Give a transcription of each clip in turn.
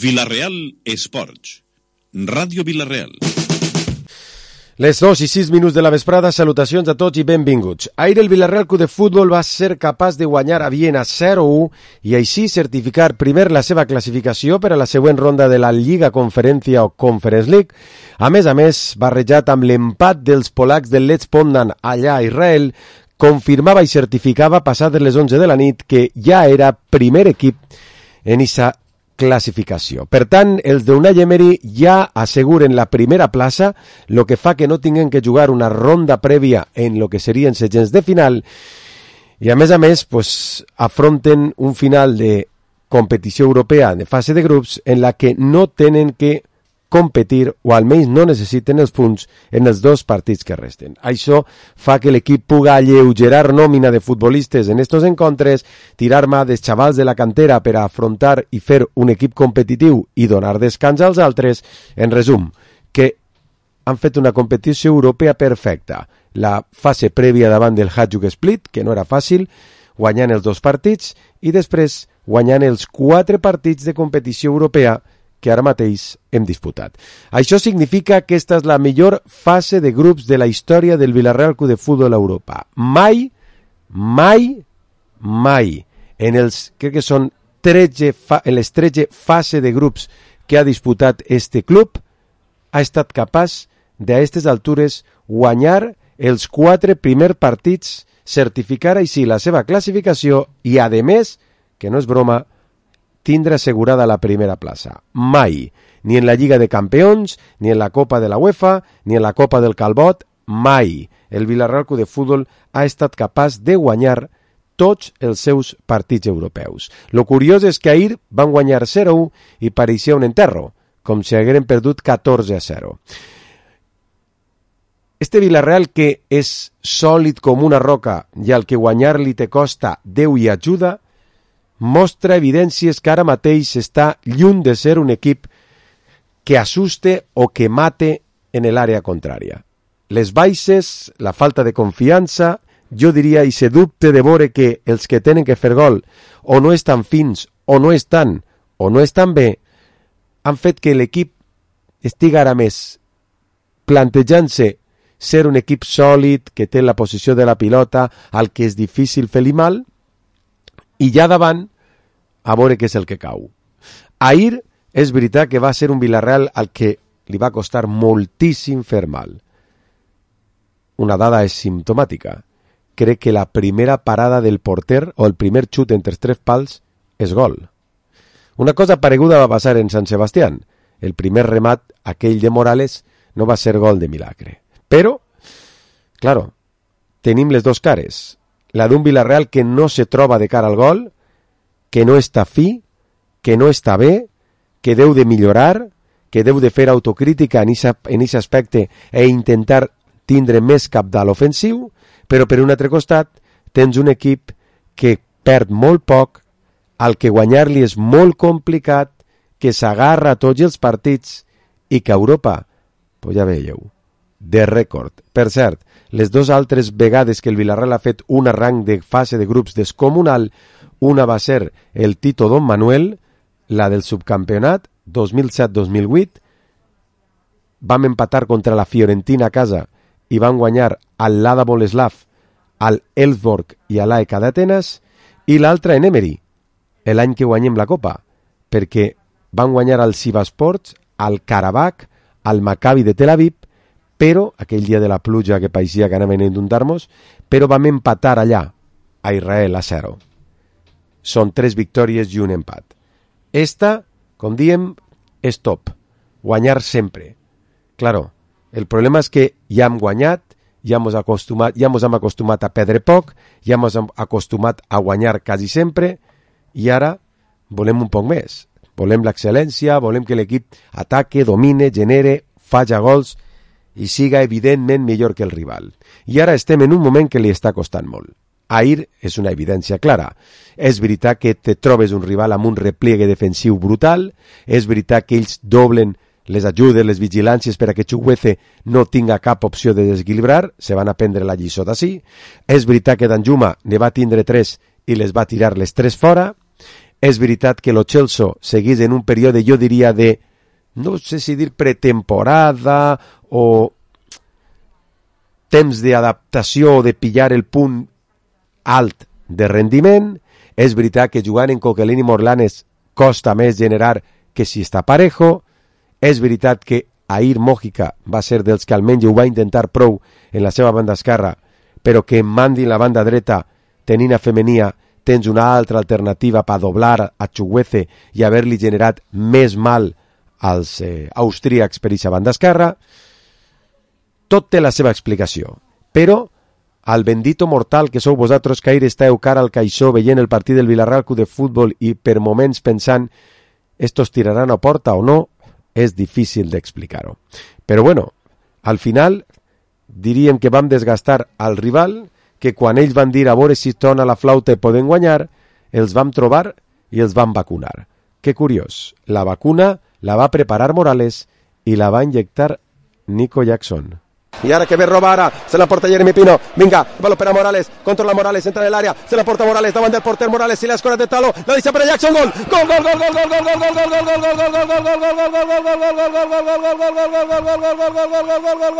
Vila-real Esports. Ràdio Vila-real. Les 2:06 de la vesprada, salutacions a tots i benvinguts. Ahir el Vila-real Club de Futbol va ser capaç de guanyar a Viena 0-1 i així certificar primer la seva classificació per a la següent ronda de la Lliga Conferència o Conference League. A més, barrejat amb l'empat dels polacs del Lech Poznan allà a Israel, confirmava i certificava passades les 11 de la nit que ja era primer equip en aquesta classificació. Per tant, els d'Unai Emery ja asseguren la primera plaça, lo que fa que no tinguin que jugar una ronda prèvia en lo que serien setgens de final i a més, pues, afronten un final de competició europea de fase de grups en la que no tenen que competir o almenys no necessiten els punts en els dos partits que resten. Això fa que l'equip puga alleugerar nòmina de futbolistes en estos encontres, tirar mà dels xavals de la cantera per a afrontar i fer un equip competitiu i donar descans als altres. En resum, que han fet una competició europea perfecta. La fase prèvia davant del Hajduk Split, que no era fàcil, guanyant els dos partits i després guanyant els 4 partits de competició europea que ara mateix hem disputat. Això significa que aquesta és la millor fase de grups de la història del Vila-real Club de Futbol a Europa. Mai, en els, crec que són en les 13 fases de grups que ha disputat este club, ha estat capaç de a aquestes altures guanyar els 4 primers partits, certificar així la seva classificació i, a més, que no és broma, tindre assegurada la primera plaça. Mai, ni en la Lliga de Campions, ni en la Copa de la UEFA, ni en la Copa del Calbot, mai. El Vila-real Club de Futbol ha estat capaç de guanyar tots els seus partits europeus. Lo curiós és que ahir van guanyar 0-1 i pareixia un enterro, com si hagueren perdut 14-0. Este Vila-real que és sòlid com una roca i al que guanyar-li te costa Déu i ajuda, mostra evidències que ara mateix està lluny de ser un equip que assuste o que mate en l'àrea contrària. Les baixes, la falta de confiança, jo diria, i se dubte de veure que els que tenen que fer gol o no estan fins o no estan bé, han fet que l'equip estigui ara més plantejant-se ser un equip sòlid, que té la posició de la pilota, al que és difícil fer-li mal, i ja davant, a veure què és el que cau. Ahir és veritat que va ser un Vila-real al que li va costar moltíssim fer mal. Una dada és simptomàtica. Crec que la primera parada del porter o el primer xut entre els 3 pals és gol. Una cosa pareguda va passar en Sant Sebastián. El primer remat, aquell de Morales, no va ser gol de milagre. Però, claro, tenim les dos cares. La d'un Vila-real que no se troba de cara al gol, que no està fi, que no està bé, que deu de millorar, que deu de fer autocrítica en aquest aspecte e intentar tindre més cabdal ofensiu, però per un altre costat tens un equip que perd molt poc, al que guanyar-li és molt complicat, que s'agarra a tots els partits i que a Europa, pues ja veieu, de rècord. Per cert, les 2 altres vegades que el Vila-real ha fet un arranc de fase de grups descomunal, una va ser el Tito Don Manuel, la del subcampionat 2007-2008, vam empatar contra la Fiorentina a casa i van guanyar al Lada Boleslav, al Elfsborg i a l'AEK d'Atenes, i l'altra en Emery, l'any que guanyem la Copa, perquè van guanyar al Sivasports, al Karabakh, al Maccabi de Tel Aviv, però, aquell dia de la pluja que pareixia que anaven a inundar-nos, però vam empatar allà, a Israel, a 0. Són 3 victòries i un empat. Esta, com diem, és top. Guanyar sempre. Claro, el problema és que ja hem guanyat, ja ens hem acostumat a perdre poc, ja ens hem acostumat a guanyar quasi sempre, i ara volem un poc més. Volem l'excel·lència, volem que l'equip ataque, domine, genere, faci gols i siga evidentment millor que el rival. I ara estem en un moment que li està costant molt. Ahir és una evidència clara. És veritat que te trobes un rival amb un repliegue defensiu brutal, és veritat que ells doblen les ajudes, les vigilàncies per a que Chukwueze no tinga cap opció de desequilibrar, se van a prendre la lliçó d'ací. És veritat que Danjuma ne va tindre 3 i les va tirar les 3 fora. És veritat que lo Chelsea seguís en un període, jo diria, de, no sé si dir pretemporada o temps d'adaptació o de pillar el punt alt de rendiment. És veritat que jugant en Coquelin i Morlanes costa més generar que si està parejo. És veritat que Air Mójica va ser dels que almenys ho va intentar prou en la seva banda esquerra, però que en mandi la banda dreta, tenint a Femenia, tens una altra alternativa per doblar a Chukwueze i haver-li generat més mal als austríacs per aquesta banda esquerra. Tot té la seva explicació, però al bendito mortal que sou vosaltres que ahir esteu cara al caixó veient el partit del Villarreal Club de Futbol i per moments pensant estos tiraran a porta o no, és difícil d'explicar-ho. Però bueno, al final diríem que vam desgastar al rival, que quan ells van dir a veure si torna la flauta i poden guanyar, els vam trobar i els vam vacunar. Que curiós, la vacuna la va preparar Morales i la va inyectar Nico Jackson. Y ahora que ve roba ara, se la porta Jeremy Pino, vinga, baló per a Morales, controla Morales, entra en l'àrea, se la porta Morales, davant del porter Morales, i la escora de Talo, la deixa per a Jackson, gol, gol, gol, gol, gol, gol, gol, gol,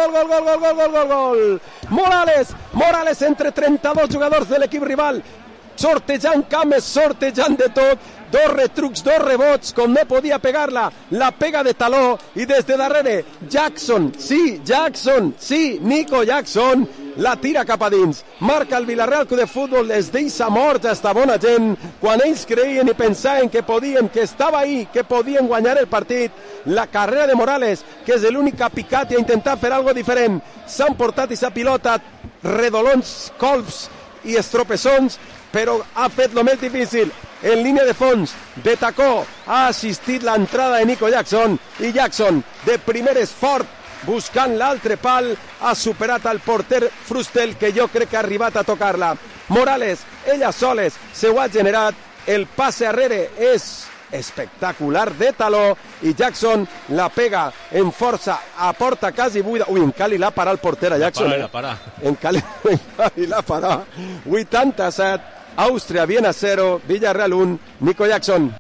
gol, gol, gol, gol, Morales entre 32 jugadors de l'equip rival, sortejant cames, sortejant de tot, dos retrucs, dos rebots, com no podia pegar-la, la pega de taló, i des de darrere, Jackson, sí, Nico Jackson, la tira cap a dins, marca el Villarreal Club de Futbol, es deixa morts a esta bona gent, quan ells creien i pensaven que podien, que estava ahí, que podien guanyar el partit, la carrera de Morales, que és l'únic que ha picat i ha intentat fer algo diferent, s'han portat aquesta pilota, redolons, colps i estropeçons, però ha fet lo més difícil, en línia de fons, de tacó, ha assistit l'entrada de Nico Jackson, i Jackson, de primer esfort, buscant l'altre pal, ha superat al porter Frustel, que jo crec que ha arribat a tocar-la. Morales, ella soles, se ho ha generat, el passe arrere és espectacular de taló, i Jackson la pega en força a porta quasi buida. Ui, en Cali l'ha parat el porter a Jackson. En Cali l'ha parat. 87, Àustria, Viena 0, Villarreal 1, Nico Jackson.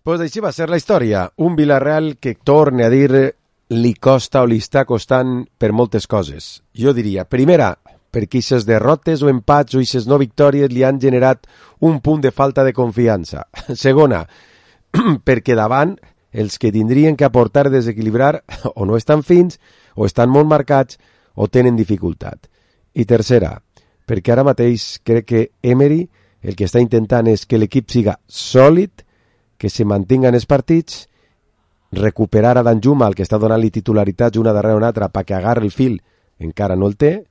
Pues així va ser la història. Un Villarreal que, torne a dir, li costa o li està costant per moltes coses. Jo diria, primera, perquè aquestes derrotes o empats o aquestes no victòries li han generat un punt de falta de confiança. Segona, perquè davant els que tindrien que aportar desequilibrar o no estan fins, o estan molt marcats, o tenen dificultat. I tercera, perquè ara mateix crec que Emery el que està intentant és que l'equip siga sòlid, que se mantinguen els partits, recuperar a Danjuma, el que està donant-li titularitats una darrere una altra perquè agarre el fil, encara no el té,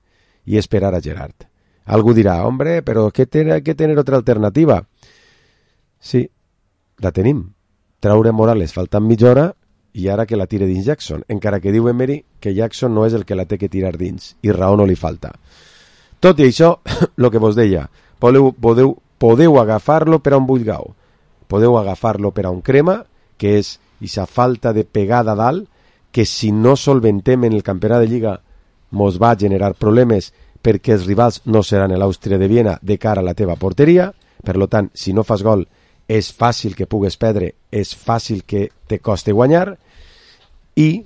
i esperar a Gerard. Algú dirà, hombre, però hay que tener otra alternativa. Sí, la tenim. Traure Morales faltant mitja hora i ara que la tire dins Jackson, encara que diu Emery que Jackson no és el que la té que tirar dins, i raó no li falta. Tot i això, el que vos deia, podeu agafar-lo per a un bullgau, podeu agafar-lo per a un crema, que és aquesta falta de pegada dalt, que si no solventem en el campionat de Lliga mos va generar problemes perquè els rivals no seran l'Àustria de Viena de cara a la teva porteria. Per tant, si no fas gol és fàcil que pugues perdre, és fàcil que te coste guanyar. I,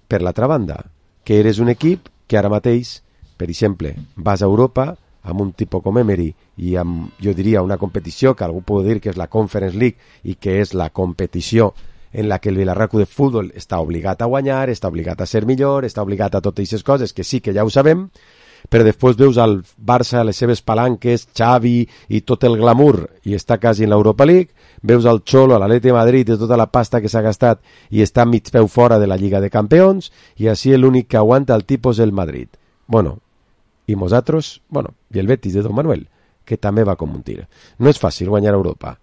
per l'altra banda, que eres un equip que ara mateix, per exemple, vas a Europa amb un tipus com Emery i amb, jo diria, una competició que algú pot dir que és la Conference League i que és la competició en la que el Villarreal Club de Futbol està obligat a guanyar, està obligat a ser millor, està obligat a totes aquestes coses que sí que ja ho sabem, però després veus al Barça, les seves palanques, Xavi i tot el glamour, i està quasi en l'Europa League, veus al Cholo, a l'Atleti de Madrid, de tota la pasta que s'ha gastat i està mig peu fora de la Lliga de Campions, i així l'únic que aguanta el tipus el Madrid. Bueno, i nosaltres, i el Betis de Don Manuel, que també va com un tir. No és fàcil guanyar a Europa,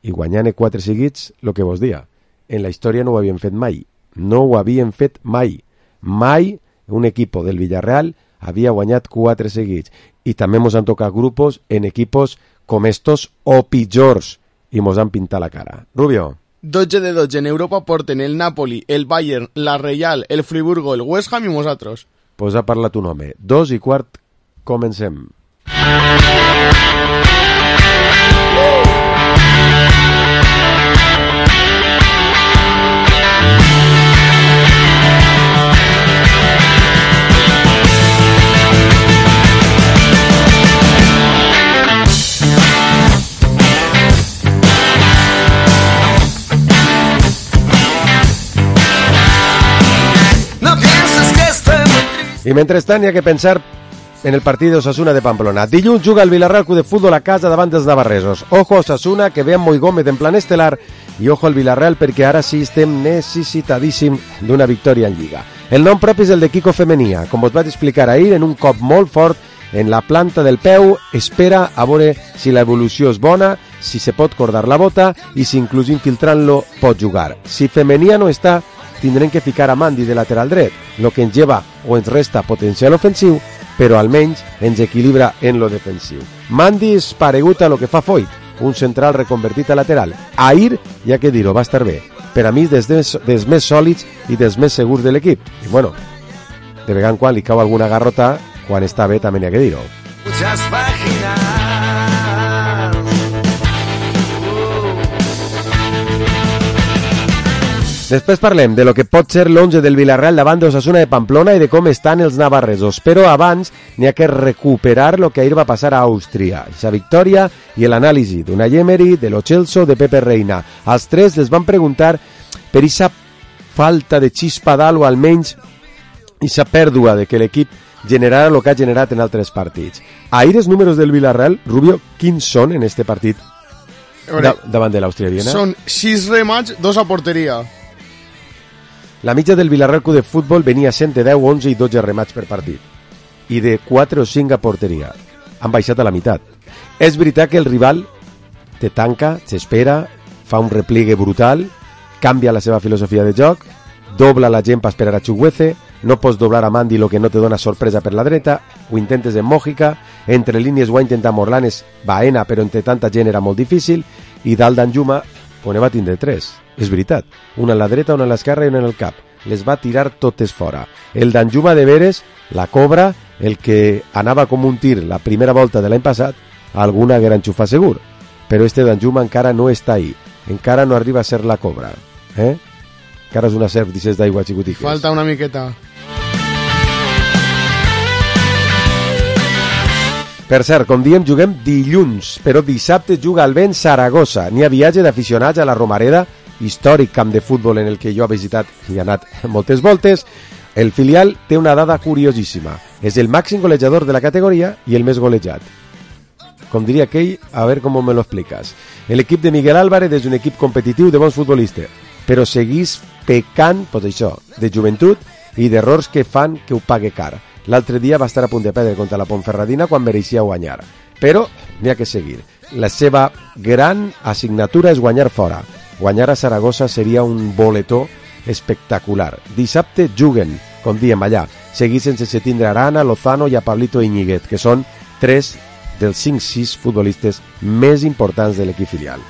i guanyant 4 seguits, el que vos dia, en la història no ho havien fet mai. No ho havien fet mai. Mai un equip del Villarreal havia guanyat 4 seguits. I també mos han tocat grupos en equipos com estos o pitjors. I mos han pintat la cara. Rubio. 12 de 12 en Europa porten el Napoli, el Bayern, la Real, el Friburgo, el West Ham i nosaltres. Pues ha parlat un home. 2:15, comencem. I mentrestant hi ha que pensar en el partit d'Osasuna de Pamplona. Dilluns juga el Villarreal Club de Futbol a casa davant dels navarresos. Ojo a Osasuna, que ve amb Moi Gómez en plan estel·lar, i ojo al Villarreal perquè ara sí estem necessitadíssim d'una victòria en Lliga. El nom propi és el de Kiko Femenia. Com us vaig explicar ahir, en un cop molt fort en la planta del peu, espera a veure si l'evolució és bona, si se pot cordar la bota i si inclús infiltrant-lo pot jugar. Si Femenia no està, tindrem que ficar a Mandi de lateral dret, lo que ens lleva o ens resta potencial ofensiu, però almenys ens equilibra en lo defensiu. Mandi és paregut a lo que fa Foyt, un central reconvertit a lateral. Ahir, ja que dir-ho, va estar bé. Per a mi és dels més sòlids i dels més segurs de l'equip. I bueno, de vegada en quan li cau alguna garrota, quan està bé també n'hi ha que dir-ho. Muchas páginas. Després parlem de lo que pot ser l'11 del Villarreal davant d'Osasuna de Pamplona i de com estan els navarresos, però abans n'hi ha que recuperar lo que ahir va passar a Àustria, aquesta victòria i l'anàlisi d'Unai Emery, de Lo Celso, de Pepe Reina. Als tres les van preguntar per aquesta falta de xispa dalt o almenys aquesta pèrdua de que l'equip generarà el que ha generat en altres partits. Ahir els números del Villarreal, Rubio, quins són en este partit davant de l'Àustria Viena? Són 6 remats, 2 a porteria. La mitja del Villarreal Club de Futbol venia sent de 10, 11 i 12 remats per partit. I de 4 o 5 a porteria. Han baixat a la meitat. És veritat que el rival te tanca, s'espera, fa un repliegue brutal, canvia la seva filosofia de joc, dobla la gent per esperar a Chukwueze, no pots doblar a Mandi lo que no te dona sorpresa per la dreta, ho intentes en Mòjica, entre línies ho ha intentat Morlanes, Baena, però entre tanta gent era molt difícil, i dalt d'Anjuma, on va tindre 3. És veritat, una a la dreta, una a l'esquerra i una en el cap. Les va tirar totes fora. El d'Anjuma de veres, la cobra, el que anava com un tir la primera volta de l'any passat, alguna gran xufa segur. Però este d'Anjuma encara no està ahí. Encara no arriba a ser la cobra. Encara és una serp d'ixes d'aigua xicutiques. Falta una miqueta. Per cert, com diem, juguem dilluns, però dissabte juga el vent Saragossa. N'hi ha viatge d'aficionats a la Romareda, històric camp de futbol en el que jo he visitat i he anat moltes voltes. El filial té una dada curiosíssima. És el màxim golejador de la categoria i el més golejat. Com diria aquell, a veure com me lo explicas. L'equip de Miguel Álvarez és un equip competitiu de bons futbolistes, però seguís pecant, pues això, de joventut i d'errors que fan que ho pague car. L'altre dia va estar a punt de perdre contra la Ponferradina quan mereixia guanyar. Però n'hi ha que seguir. La seva gran assignatura és guanyar fora. Guanyar a Saragossa seria un boletó espectacular. Dissabte juguen, com diem allà, seguir sense tindre Arana, Lozano i a Pablito Iñiguez, que són 3 dels 5-6 futbolistes més importants de l'equip filial.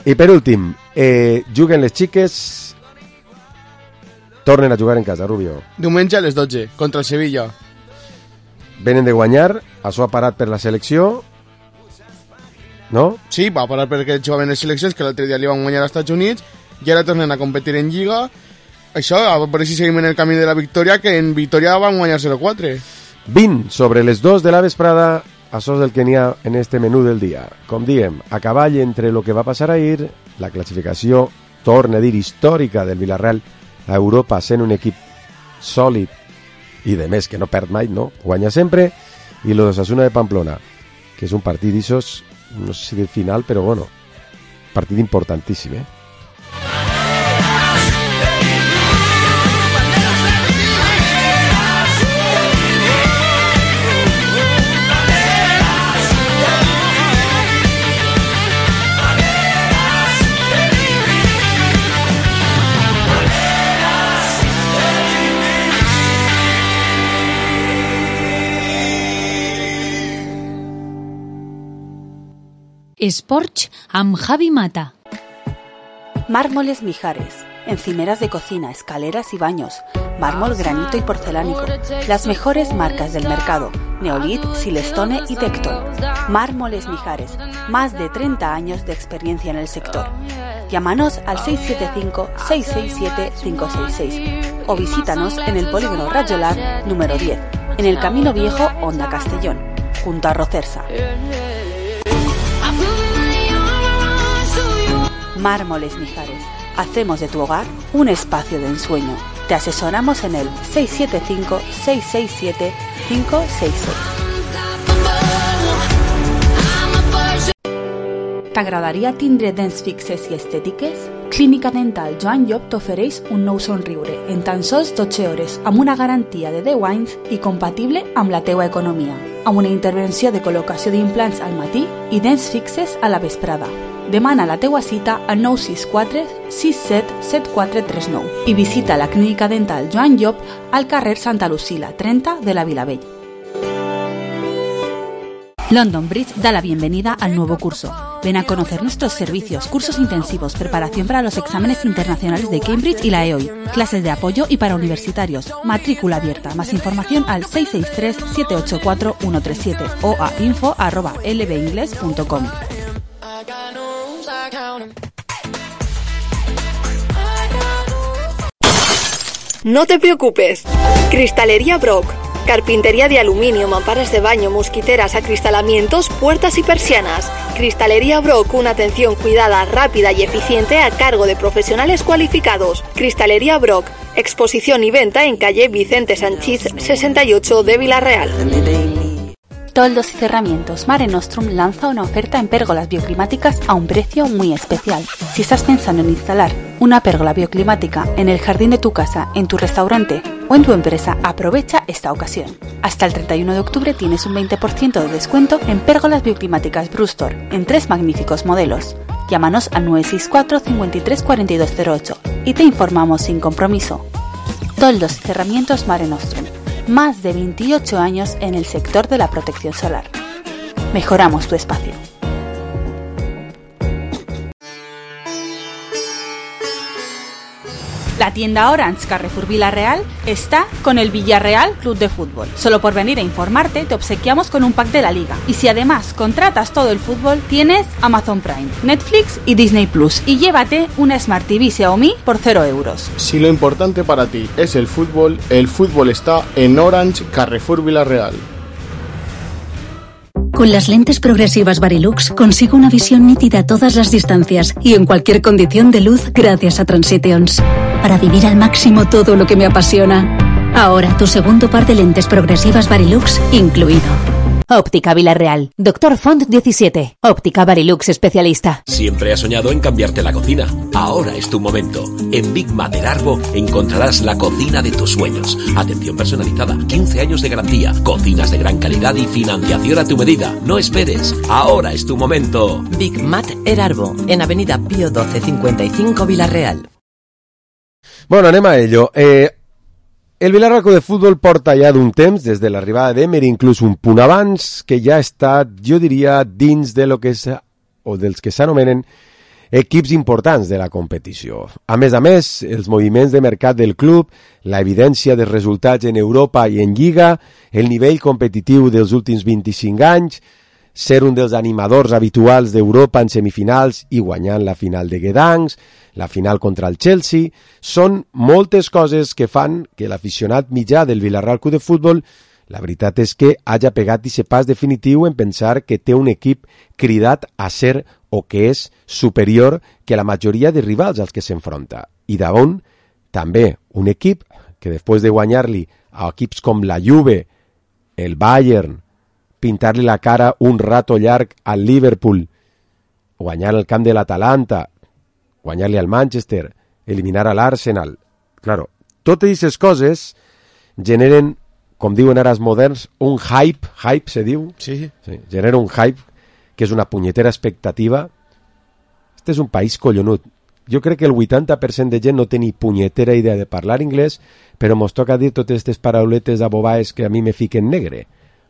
I per últim, juguen les xiques, tornen a jugar en casa, Rubio. Diumenge a les 12, contra el Sevilla. Venen de guanyar, això ha parat per la selecció, no? Sí, va parar perquè jugaven les seleccions, que l'altre dia li van guanyar als Estats Units, i ara tornen a competir en Lliga. Això, a veure si seguim en el camí de la victòria, que en Victòria van guanyar 0-4. 20 sobre les 2 de la vesprada, això és el que n'hi ha en este menú del dia. Com diem, a cavall entre el que va passar ahir, la classificació, torna a dir, històrica del Villarreal a Europa, sent un equip sòlid i de més que no perd mai, no? Guanya sempre, i lo d'Osasuna de Pamplona, que és un partit d'ixos, no sé si del final, però bueno, partit importantíssim, Esports amb Javi Mata. Mármoles Mijares, encimeras de cocina, escaleras y baños, mármol, granito y porcelánico, las mejores marcas del mercado, Neolith, Silestone y Tecton. Mármoles Mijares, más de 30 años de experiencia en el sector. Llámanos al 675-667-566 o visítanos en el Polígono Rayolar número 10, en el Camino Viejo, Honda Castellón, junto a Rocersa. Mármoles Mijares, hacemos de tu hogar un espacio de ensueño. Te asesoramos en el 675-667-566. T'agradaria tindre dents fixes i estètiques? Clínica Dental Joan Llop t'ofereix un nou somriure en tan sols 12 hores amb una garantia de 10 anys i compatible amb la teua economia, amb una intervenció de col·locació d'implants al matí i dents fixes a la vesprada. Demana la teua cita al 964 67 7439 i visita la Clínica Dental Joan Llop al carrer Santa Lucila 30 de la Vilavell. London Bridge da la bienvenida al nuevo curso. Ven a conocer nuestros servicios, cursos intensivos, preparación para los exámenes internacionales de Cambridge y la EOI, clases de apoyo y para universitarios, matrícula abierta. Más información al 663-784-137 o a info@lbingles.com. No te preocupes. Cristalería Brock. Carpintería de aluminio, mamparas de baño, mosquiteras, acristalamientos, puertas y persianas. Cristalería Brock, una atención cuidada, rápida y eficiente a cargo de profesionales cualificados. Cristalería Brock, exposición y venta en calle Vicente Sanchís 68 de Villarreal. Toldos y Cerramientos Mare Nostrum lanza una oferta en pérgolas bioclimáticas a un precio muy especial. Si estás pensando en instalar una pérgola bioclimática en el jardín de tu casa, en tu restaurante o en tu empresa, aprovecha esta ocasión. Hasta el 31 de octubre tienes un 20% de descuento en pérgolas bioclimáticas Brustor en 3 magníficos modelos. Llámanos al 964 53 4208 y te informamos sin compromiso. Toldos y Cerramientos Mare Nostrum. Más de 28 años en el sector de la protección solar. Mejoramos tu espacio. La tienda Orange Carrefour Villarreal está con el Villarreal Club de Fútbol. Solo por venir a informarte te obsequiamos con un pack de la liga. Y si además contratas todo el fútbol, tienes Amazon Prime, Netflix y Disney Plus. Y llévate una Smart TV Xiaomi por 0 euros. Si lo importante para ti es el fútbol está en Orange Carrefour Villarreal. Con las lentes progresivas Varilux consigo una visión nítida a todas las distancias y en cualquier condición de luz gracias a Transitions. Para vivir al máximo todo lo que me apasiona. Ahora tu segundo par de lentes progresivas Varilux incluido. Óptica Villarreal. Dr. Font 17. Óptica Varilux especialista. Siempre has soñado en cambiarte la cocina. Ahora es tu momento. En Big Mat Erarbo encontrarás la cocina de tus sueños. Atención personalizada, 15 años de garantía, cocinas de gran calidad y financiación a tu medida. No esperes. Ahora es tu momento. Big Mat Erarbo, en Avenida Pío 12 55 Villarreal. Bueno, anem a ello. El Villarreal Club de Futbol porta ja d'un temps, des de l'arribada d'Emery, inclús un punt abans, que ja està, jo diria, dins de lo que és, o dels que s'anomenen equips importants de la competició. A més, els moviments de mercat del club, la evidència dels resultats en Europa i en Lliga, el nivell competitiu dels últims 25 anys, ser un dels animadors habituals d'Europa en semifinals i guanyant la final de Gdansk, la final contra el Chelsea, són moltes coses que fan que l'aficionat mitjà del Villarreal Club de Futbol, la veritat és que hagi pegat aquest pas definitiu en pensar que té un equip cridat a ser o que és superior que la majoria de rivals als que s'enfronta. I d'on també un equip que després de guanyar-li a equips com la Juve, el Bayern, pintar-li la cara un rato llarg al Liverpool, guanyar el camp de l'Atalanta, guanyar-li al Manchester, eliminar a l'Arsenal. Claro, totes aquestes coses generen, com diuen ara els moderns, un hype se diu? Sí. Genera un hype que és una punyetera expectativa. Este és un país collonut. Jo crec que el 80% de gent no té ni punyetera idea de parlar anglès, però mos toca dir totes aquestes parauletes abobaes que a mi me fiquen negre.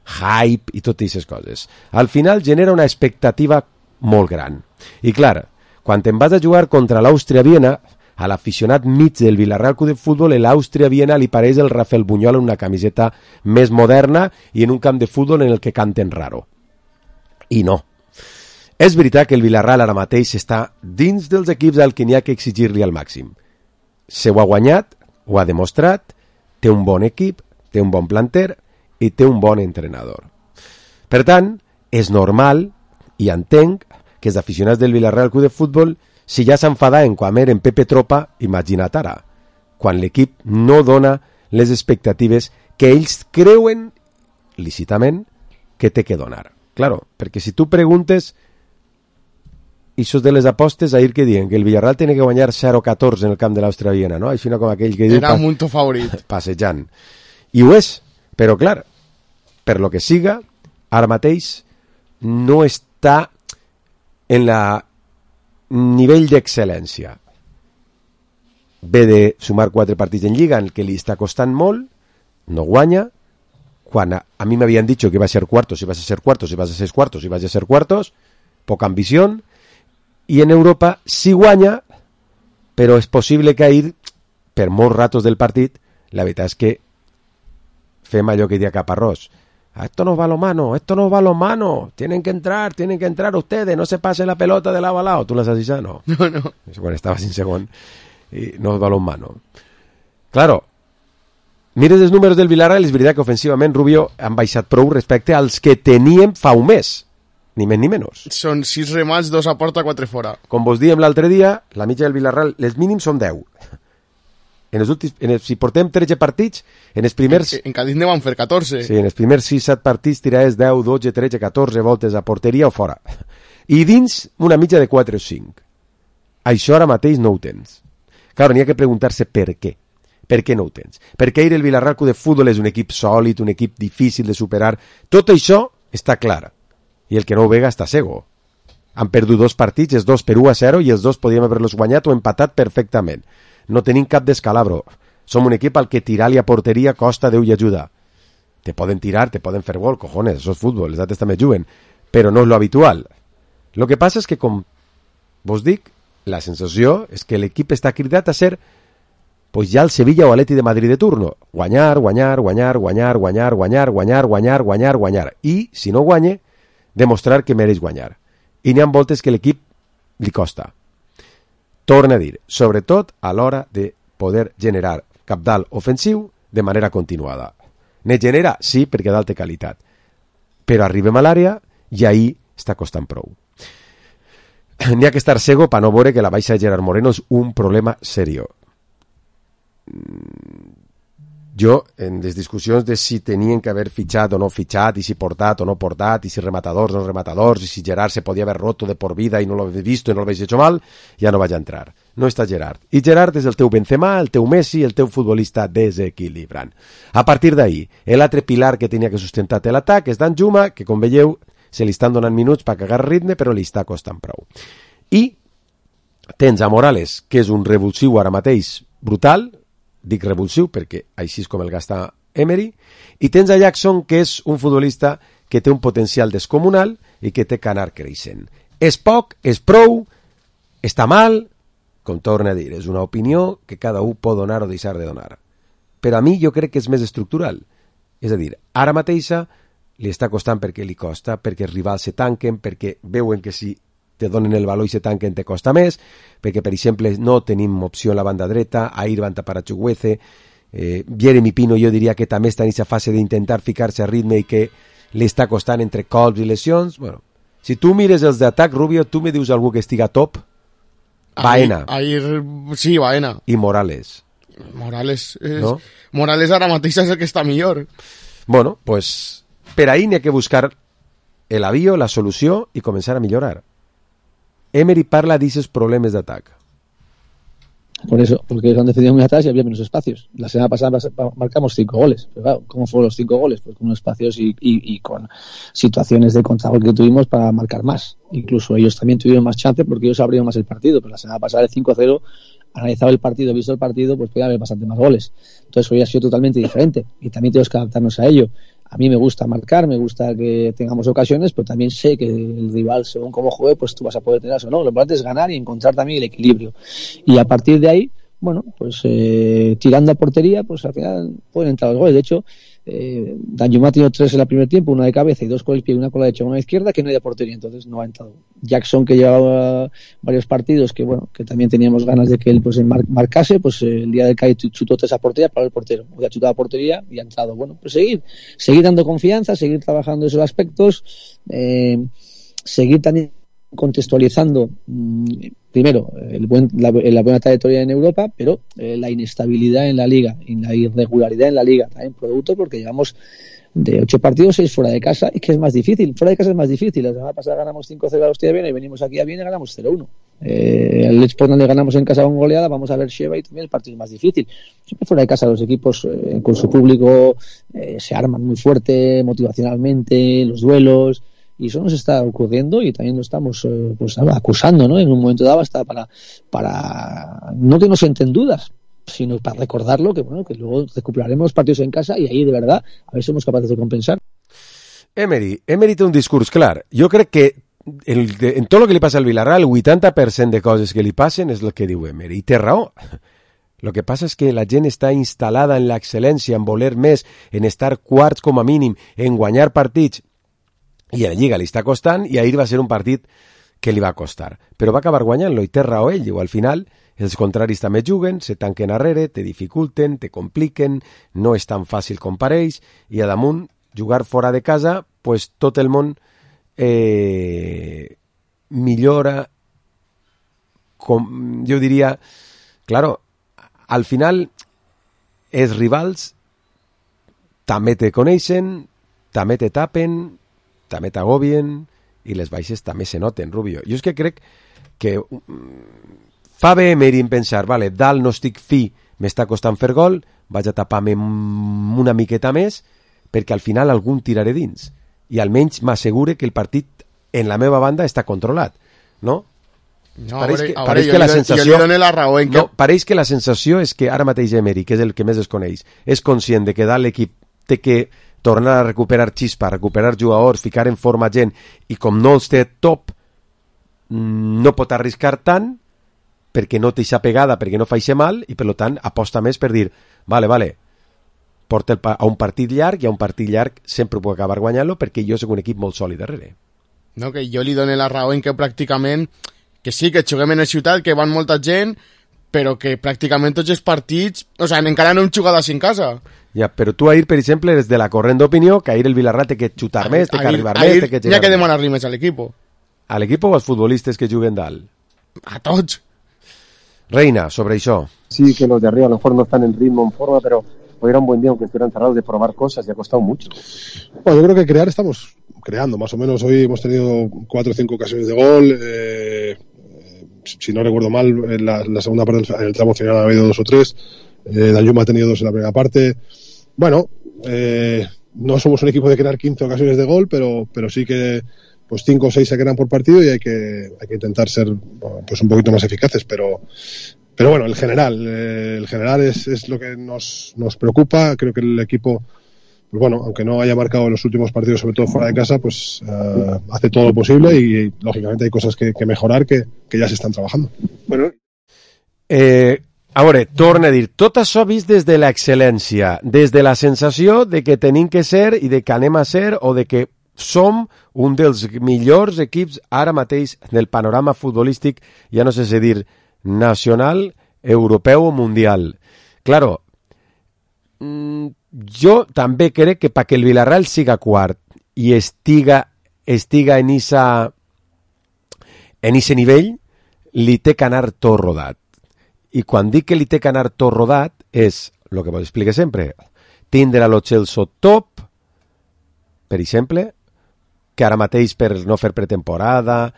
Hype i totes aquestes coses. Al final genera una expectativa molt gran. I clar, quan te'n vas a jugar contra l'Àustria-Viena, a l'aficionat mig del Villarreal Club de Futbol, l'Àustria-Viena li pareix el Rafael Buñol en una camiseta més moderna i en un camp de futbol en el que canten raro. I no. És veritat que el Villarreal ara mateix està dins dels equips al que n'hi ha que exigir-li al màxim. Se ho ha guanyat, ho ha demostrat, té un bon equip, té un bon planter i té un bon entrenador. Per tant, és normal i entenc que els aficionats del Villarreal Club de Futbol Si ja s'enfadaven quan eren Pepe Tropa, imagina't ara, quan l'equip no dona les expectatives que ells creuen, lícitament, que té que donar. Claro, perquè si tu preguntes, ixos de les apostes, ahir que diuen que el Villarreal tiene que guanyar 0-14 en el camp de l'Àustria Viena, no? Així no com aquell que diu... Era un to favorit. Passejant. I ho és, però clar, per lo que siga, ara mateix no està en la nivell d'excel·lència. Ve de sumar 4 partits en Lliga en què li està costant molt, no guanya, quan a mi m'havien dit que iba a ser cuartos, si vas a ser cuartos, si vas a ser cuartos, si vas a ser cuartos, poca ambició, i en Europa sí guanya, però és possible que ahir, per molts ratos del partit, la veritat és que fem allò que diu Caparrós. Esto no va lo mano, tienen que entrar ustedes, no se pase la pelota de lado a lado. ¿Tú las has dicho? No. No. Quan estava sin segon, i no va lo mano. Claro, mires els números del Villarreal, és veritat que ofensivament Rubio han baixat prou respecte als que teníem fa un mes, ni més ni menys. Són 6 remats, 2 a porta, 4 fora. Com vos diem l'altre dia, la mitja del Villarreal, les mínims són 10. Si portem 13 partits, en els primers... En Cádiz ne van fer 14. Sí, en els primers 6-7 partits tiraves 10, 12, 13, 14 voltes a porteria o fora. I dins una mitja de 4 o 5. Això ara mateix no ho tens. Clar, n'hi ha que preguntar-se per què. Per què no ho tens? Perquè ahir el Villarreal Club de Futbol és un equip sòlid, un equip difícil de superar. Tot això està clar. I el que no ho vega està cego. Han perdut 2 partits, els 2 per 1-0, i els 2 podíem haver-los guanyat o empatat perfectament. No tenim cap descalabro. Som un equip al que tirar-li a porteria costa Déu i ajuda. Te poden tirar, te poden fer gol, cojones, això és futbol, els altres també juguen, però no és lo habitual. Lo que passa és que, com vos dic, la sensació és que l'equip està cridat a ser pues ja el Sevilla o Atleti de Madrid de turno. Guanyar. I, si no guanye, demostrar que mereix guanyar. I n'hi ha voltes que l'equip li costa. Torna a dir, sobretot a l'hora de poder generar cabdal ofensiu de manera continuada. Ne genera, sí, perquè d'alta qualitat. Però arribem a l'àrea i ahir està costant prou. N'hi ha que estar cego per no veure que la baixa de Gerard Moreno és un problema serio. Jo, en les discussions de si tenien que haver fitxat o no fitxat, i si portat o no portat, i si rematadors o no rematadors, i si Gerard se podia haver roto de por vida i no l'he vist i no l'he hecho mal, ja no vaig a entrar. No està Gerard. I Gerard és el teu Benzema, el teu Messi, el teu futbolista desequilibrant. A partir d'ahí, l'altre pilar que tenia que sustentar l'atac és Dan Juma, que com veieu se li estan donant minuts per cagar ritme, però li està costant prou. I tens a Morales, que és un revulsiu ara mateix brutal, dic revulsiu perquè així és com el gasta Emery, i tens a Jackson, que és un futbolista que té un potencial descomunal i que té que anar creixent. És poc, és prou, està mal, com torna a dir, és una opinió que cada un pot donar o deixar de donar. Però a mi jo crec que és més estructural. És a dir, ara mateixa li està costant perquè li costa, perquè els rivals se tanquen, perquè veuen que si te donen el valor i se tanquen te costa més, perquè per exemple no tenim opció a la banda dreta, ahir van tapar a Chukwueze, Jeremy Pino jo diria que també està en aquesta fase d'intentar ficar-se a ritme i que li està costant entre colps i lesions. Bueno, si tu mires els d'atac, Rubio, tu me dius algú que estiga top? Baena. Sí, Baena. I Morales. ¿No? Morales ara mateix és el que està millor. Bueno, pues per ahí n'hi ha que buscar el avío, la solució i començar a millorar. Emery parla de esos problemas de ataque. Por eso, porque ellos han defendido muy atrás y había menos espacios. La semana pasada marcamos 5 goles. Pero claro, ¿cómo fueron los 5 goles? Pues con unos espacios y con situaciones de contragol que tuvimos para marcar más. Incluso ellos también tuvieron más chance porque ellos abrieron más el partido. Pero la semana pasada el 5-0, analizado el partido, visto el partido, pues podía haber bastante más goles. Entonces hoy ha sido totalmente diferente y también tenemos que adaptarnos a ello. A mí me gusta marcar, me gusta que tengamos ocasiones, pero también sé que el rival, según cómo juegue, pues tú vas a poder tener eso, ¿no? Lo importante es ganar y encontrar también el equilibrio. Y a partir de ahí, bueno, pues tirando a portería, pues al final pueden entrar los goles. De hecho, Dan Juma ha tenido 3 en el primer tiempo, una de cabeza y 2 con el pie y una con la derecha y una izquierda, que no hay de portería, entonces no ha entrado. Jackson, que llevaba varios partidos, que bueno, que también teníamos ganas de que él pues marcase, pues el día del Cádiz chutó 3 a portería para el portero. Hoy ha chutado a portería y ha entrado. Bueno, pues seguir dando confianza, seguir trabajando esos aspectos, seguir también contextualizando primero, la buena trayectoria en Europa, pero la inestabilidad en la Liga y la irregularidad en la Liga también producto porque llevamos de 8 partidos, 6 fuera de casa, y que es más difícil. Fuera de casa es más difícil. La semana pasada ganamos 5-0 a Hostia Viena y venimos aquí a Viena y ganamos 0-1. Al Lech Poznan le ganamos en casa con goleada, vamos a ver Sheva y también el partido es más difícil. Siempre fuera de casa los equipos con su público se arman muy fuerte motivacionalmente, los duelos, y eso nos está ocurriendo y también lo estamos acusando, ¿no? En un momento dado hasta para no que nos entren dudas, sino para recordarlo, que bueno, que luego recuperaremos los partidos en casa y ahí de verdad a ver si somos capaces de compensar. Emery té un discurs clar. Jo crec que en tot el que li passa al Villarreal, el 80% de coses que li passen és el que diu Emery, i té raó. Lo que passa és que la gent està instal·lada en l'excel·lència, en voler més, en estar quarts com a mínim, en guanyar partits, i a la Lliga li està costant, i ahir va ser un partit que li va costar. Però va acabar guanyant-lo, i té raó ell, i al final els contraris també juguen, se tanquen arrere, te dificulten, te compliquen, no és tan fàcil com pareix, i a damunt, jugar fora de casa, pues tot el món millora, jo diria, claro, al final els rivals també te coneixen, també te tapen, també t'agobien, i les baixes també se noten, Rubio. Jo és que crec que fa bé Emery en pensar, vale, dalt no estic fi, m'està costant fer gol, vaig a tapar-me una miqueta més, perquè al final algun tiraré dins. I almenys m'assegure que el partit en la meva banda està controlat, no? No, pareix que la sensació... Jo li dono la raó en que... No, pareix que la sensació és que ara mateix Emery, que és el que més es coneix, és conscient de que dalt l'equip té que tornar a recuperar xispa, recuperar jugadors, ficar en forma gent, i com no els té top, no pot arriscar tant, perquè no té aquesta pegada, perquè no fa això mal, i per tant aposta més per dir, vale, porta a un partit llarg, i a un partit llarg sempre puc acabar guanyant-lo, perquè jo soc un equip molt sòlid darrere. No, que jo li dono la raó en que pràcticament, que sí, que juguem en la ciutat, que van molta gent, però que pràcticament tots els partits, o sigui, encara no hem jugat així en casa. Ja, però tu ahir, per exemple, eres de la corrent d'opinió que ahir el Villarreal té que xutar més, té que arribar més, té que llegar més. N'hi ha que demanar-li més a l'equip. A l'equip o als futbolistes que juguen dalt? A tots. Reina, sobre això. Sí, que los de arriba a lo mejor no están en ritmo, en forma, pero hoy era un buen día, aunque estuvieran cerrados, de probar cosas y ha costado mucho. Bueno, yo creo que crear estamos creando, más o menos. Hoy hemos tenido 4 o 5 ocasiones de gol. Si no recuerdo mal, en la segunda parte, en el tramo final ha habido 2 o 3. Danjuma ha tenido 2 en la primera parte. Bueno, no somos un equipo de crear 15 ocasiones de gol, pero sí que pues 5 o 6 se crean por partido y hay que intentar ser pues un poquito más eficaces, pero bueno, el general es lo que nos preocupa. Creo que el equipo, pues bueno, aunque no haya marcado en los últimos partidos, sobre todo fuera de casa, pues hace todo lo posible y lógicamente hay cosas que mejorar que ya se están trabajando. Bueno. A veure, torna a dir, tot això vist des de l'excel·lència, des de la sensació de que tenim que ser i de que anem a ser o de que som un dels millors equips ara mateix del panorama futbolístic, ja no sé si dir nacional, europeu o mundial. Claro, jo també crec que perquè el Villarreal siga quart i estiga en ese nivell, li té que anar tot rodat. I quan dic que li té que anar tot rodat és, el que vos explique sempre, tindre a lo Chelsea top, per exemple, que ara mateix per no fer pretemporada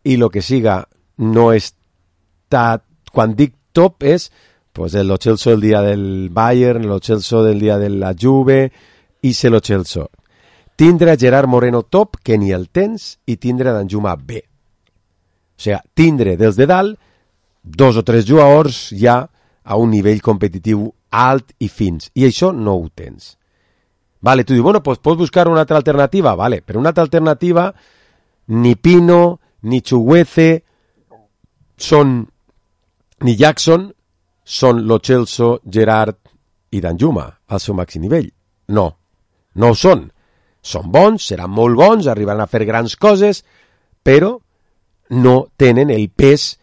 i el que siga no està... Quan dic top és pues, el Chelsea el dia del Bayern, el Chelsea del dia de la Juve i se lo Chelsea. Tindre a Gerard Moreno top, que ni el tens, i tindre a Danjuma B. O sigui, tindre dels de dalt 2 o 3 jugadors ja a un nivell competitiu alt i fins. I això no ho tens. Vale, tu dius, bueno, pues pots buscar una altra alternativa. Vale, però una altra alternativa ni Pino, ni Chuguece ni Jackson són Lo Celso, Gerard i Danjuma al seu màxim nivell. No ho són. Són bons, seran molt bons, arribaran a fer grans coses, però no tenen el pes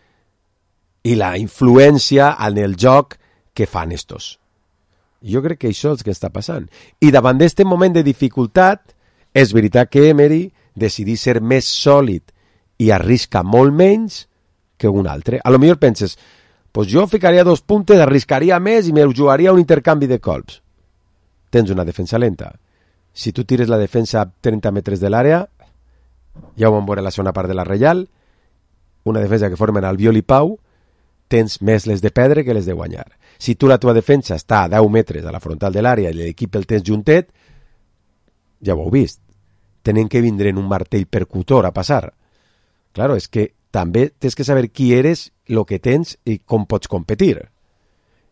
i la influència en el joc que fan estos. Jo crec que això és el que està passant. I davant d'aquest moment de dificultat, és veritat que Emery decidí ser més sòlid i arrisca molt menys que un altre. A lo millor penses, pues jo ficaria 2 puntes, arriscaria més i me jugaria un intercanvi de colps. Tens una defensa lenta. Si tu tires la defensa a 30 metres de l'àrea, ja ho vam veure la segona part de la Reial, una defensa que formen Albiol i Pau, tens més les de perdre que les de guanyar. Si tu la teva defensa està a 10 metres a la frontal de l'àrea i l'equip el tens juntet, ja ho heu vist. Tenen que vindre en un martell percutor a passar. Claro, és que també tens que saber qui eres, el que tens i com pots competir.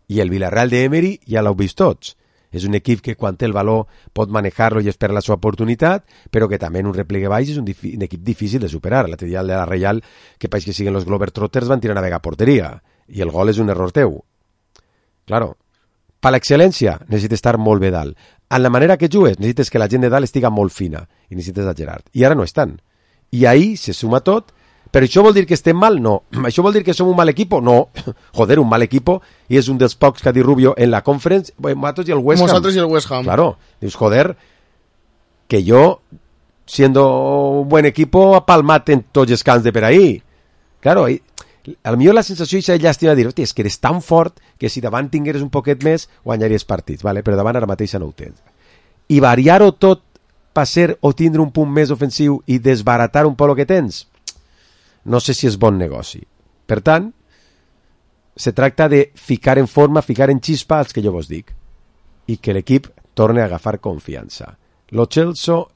I el Villarreal d'Emery ja l'heu vist tots. És un equip que quan té el valor pot manejar-lo i esperar la seva oportunitat, però que també en un replegue baix és un equip difícil de superar. L'altre dia de la Reial, que pareix que siguen els Globetrotters, van tirar una vega a porteria i el gol és un error teu. Claro, per l'excel·lència necessites estar molt bé dalt. En la manera que jugues necessites que la gent de dalt estiga molt fina i necessites a Gerard. I ara no estan. I ahí se suma tot. Però això vol dir que estem mal? No. Això vol dir que som un mal equipo? No. Joder, un mal equipo, i és un dels pocs que ha dit Rubio en la conference, Matos y el West Ham. Nosotros y el West Ham. Claro. Dius, joder, que yo, siendo un buen equipo, ha palmat en tots els camps de per ahí. Claro, a lo millor la sensació és llàstima de dir, hòstia, és que eres tan fort que si davant tingueres un poquet més, guanyaries partits, vale? Però davant ara mateix no ho tens. I variar-ho tot per ser o tindre un punt més ofensiu i desbaratar un poc el que tens, no sé si és bon negoci. Per tant, se tracta de ficar en forma, ficar en xispa els que jo vos dic, i que l'equip torni a agafar confiança. Lo Celso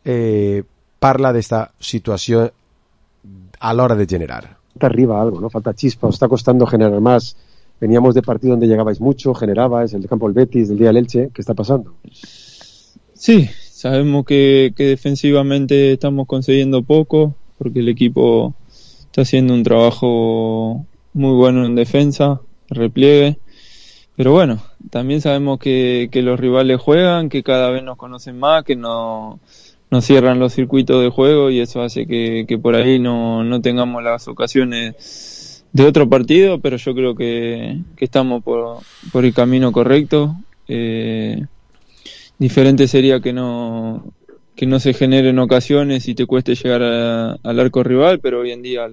parla d'esta situació a l'hora de generar. Falta arriba algo, ¿no? Falta chispa, os está costando generar más. Veníamos de partido donde llegabais mucho, generabais, el campo del Betis, del día del Elche. ¿Qué está pasando? Sí, sabemos que defensivamente estamos consiguiendo poco, porque el equipo está haciendo un trabajo muy bueno en defensa, repliegue, pero bueno, también sabemos que los rivales juegan, que cada vez nos conocen más, que nos cierran los circuitos de juego y eso hace que por ahí no tengamos las ocasiones de otro partido, pero yo creo que estamos por el camino correcto. Diferente sería que no se generen ocasiones y te cueste llegar al arco rival, pero hoy en día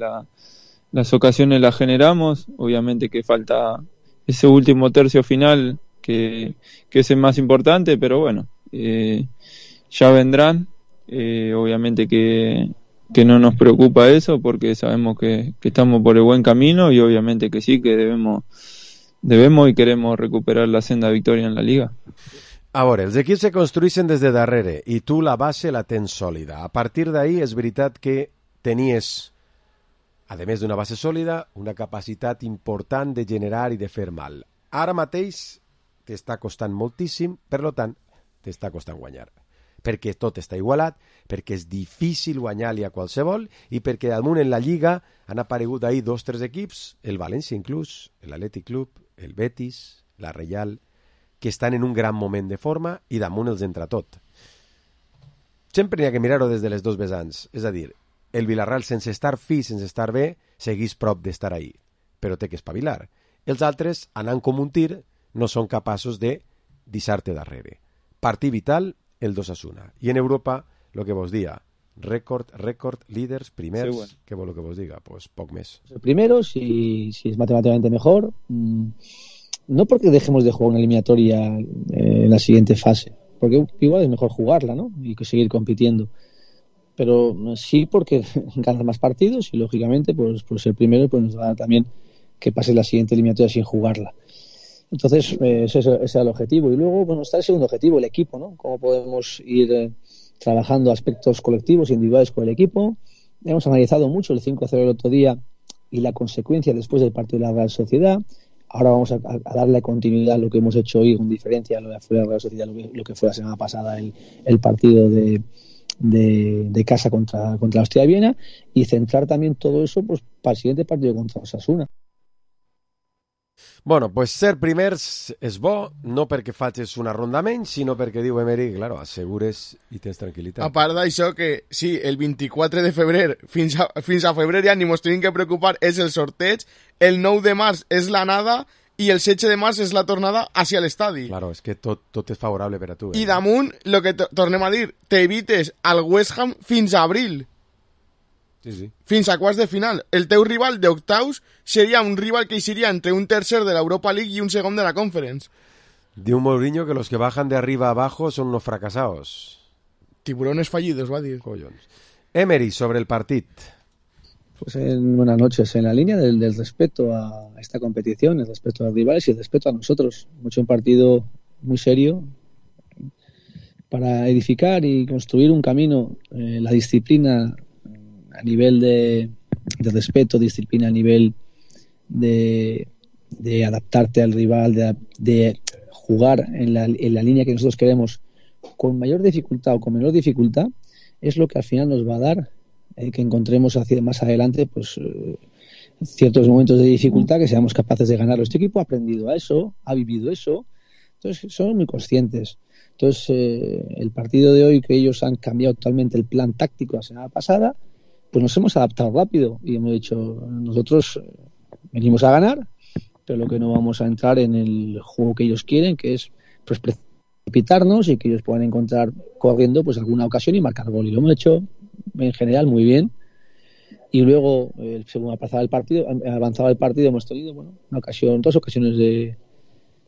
las ocasiones las generamos. Obviamente que falta ese último tercio final que es el más importante, pero bueno, ya vendrán. Obviamente que no nos preocupa eso porque sabemos que estamos por el buen camino y obviamente que sí, que debemos y queremos recuperar la senda de victoria en la Liga. A veure, els equips se construeixen des de darrere i tu la base la tens sòlida. A partir d'ahí és veritat que tenies, a més d'una base sòlida, una capacitat important de generar i de fer mal. Ara mateix t'està costant moltíssim, per tant, t'està costant guanyar. Perquè tot està igualat, perquè és difícil guanyar-li a qualsevol i perquè damunt en la Lliga han aparegut ahir 2 o 3 equips, el València inclús, l'Atlètic Club, el Betis, la Reial, que estan en un gran moment de forma i damunt els entra tot. Sempre n'hi ha que mirar-ho des de les 2 vessants. És a dir, el Villarreal sense estar fi, sense estar bé, seguís prop d'estar ahí, però té que espavilar. Els altres, anant com un tir, no són capaços de deixar-te darrere. Partit vital, el 2-1. I en Europa, el que vos diga, rècord, líders, primers, sí, bueno. ¿Qué vol que vos diga? Pues poc més. El primero, si es matemáticamente mejor, no porque dejemos de jugar una eliminatoria en la siguiente fase, porque igual es mejor jugarla, ¿no? Y que seguir compitiendo. Pero sí porque ganas más partidos y lógicamente pues por ser primero pues nos da también que pase la siguiente eliminatoria sin jugarla. Entonces ese es el objetivo. Y luego bueno, está el segundo objetivo, el equipo, ¿no? Cómo podemos ir trabajando aspectos colectivos e individuales con el equipo. Hemos analizado mucho el 5-0 el otro día y la consecuencia después del partido de la Real Sociedad. Ahora vamos a darle continuidad a lo que hemos hecho hoy con diferencia a lo de la Real Sociedad, lo que fue la semana pasada el partido de casa contra la Hostia de Viena, y centrar también todo eso pues para el siguiente partido contra Osasuna. Bueno, pues ser primers és bo, no perquè facis una ronda menys, sinó perquè diu Emery, claro, assegures i tens tranquil·litat. A part d'això, que sí, el 24 de febrer fins a febrer ja ni mos tenim que preocupar, és el sorteig, el 9 de març és l'anada i el 16 de març és la tornada hacia l'estadi. Claro, és que tot és favorable per a tu. I damunt, el que tornem a dir, t'evites al West Ham fins a abril. Sí. Fins a quarts de final. El teu rival d'octaus seria un rival que hi seria entre un tercer de l'Europa League i un segon de la Conference. Diu Mourinho que los que bajan de arriba a abajo son unos fracasados. Tiburones fallidos, va dir. Collons. Emery, sobre el partit. Pues buenas noches. En la línea del respeto a esta competición, el respeto a los rivales y el respeto a nosotros. Hemos hecho un partido muy serio para edificar y construir un camino. La disciplina a nivel de respeto, disciplina a nivel de adaptarte al rival, de jugar en la línea que nosotros queremos con mayor dificultad o con menor dificultad, es lo que al final nos va a dar que encontremos más adelante pues ciertos momentos de dificultad que seamos capaces de ganarlo. Este equipo ha aprendido a eso, ha vivido eso, entonces son muy conscientes. Entonces el partido de hoy, que ellos han cambiado totalmente el plan táctico la semana pasada, pues nos hemos adaptado rápido y hemos dicho, nosotros venimos a ganar, pero lo que no vamos a entrar en el juego que ellos quieren, que es pues precipitarnos y que ellos puedan encontrar corriendo pues alguna ocasión y marcar gol. Y lo hemos hecho en general muy bien. Y luego, según avanzaba el partido, hemos tenido dos ocasiones de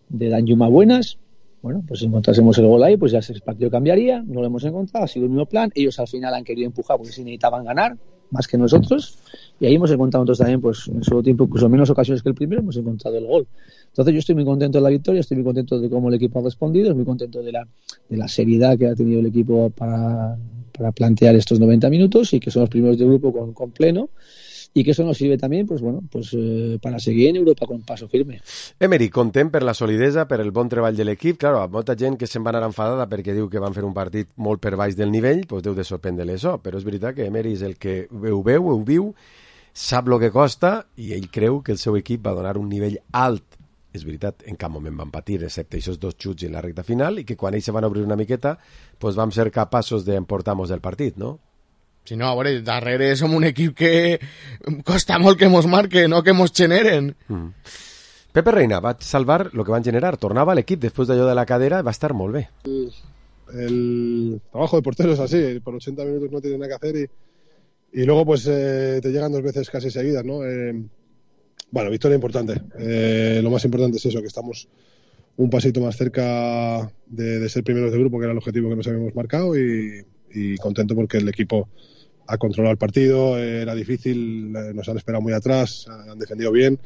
Danjuma buenas. Bueno, pues si encontrásemos el gol ahí, pues ya el partido cambiaría. No lo hemos encontrado, ha sido el mismo plan. Ellos al final han querido empujar porque sí necesitaban ganar más que nosotros. Y ahí hemos encontrado nosotros también, pues en solo tiempo, incluso menos ocasiones que el primero, hemos encontrado el gol. Entonces yo estoy muy contento de la victoria, estoy muy contento de cómo el equipo ha respondido, estoy muy contento de la seriedad que ha tenido el equipo para plantear estos 90 minutos y que son los primeros de grupo con pleno. I que això nos sirve també para seguir en Europa con paso firme. Emery, content per la solidesa, per el bon treball de l'equip. Claro, molta gent que se'n va anar enfadada perquè diu que van fer un partit molt per baix del nivell, doncs deu de sorprendre-li això. Però és veritat que Emery és el que ho veu, ho viu, sap el que costa i ell creu que el seu equip va donar un nivell alt. És veritat, en cap moment van patir, excepte aquests dos xuts en la recta final, i que quan ells se van obrir una miqueta, doncs vam ser capaços d'emportar-nos del partit, no? Si no, a veure, darrere som un equip que costa molt que mos marquen, no que mos generen. Pepe Reina va salvar el que van generar. Tornava a l'equip després d'allò de la cadera i va estar molt bé. El trabajo de portero es así, por 80 minutos no tiene nada que hacer y luego pues te llegan dos veces casi seguidas, ¿no? Bueno, victoria importante. Lo más importante es eso, que estamos un pasito más cerca de ser primeros de grupo, que era el objetivo que nos habíamos marcado y contento porque el equipo ha controlado el partido, era difícil, nos han esperado muy atrás, han defendido bien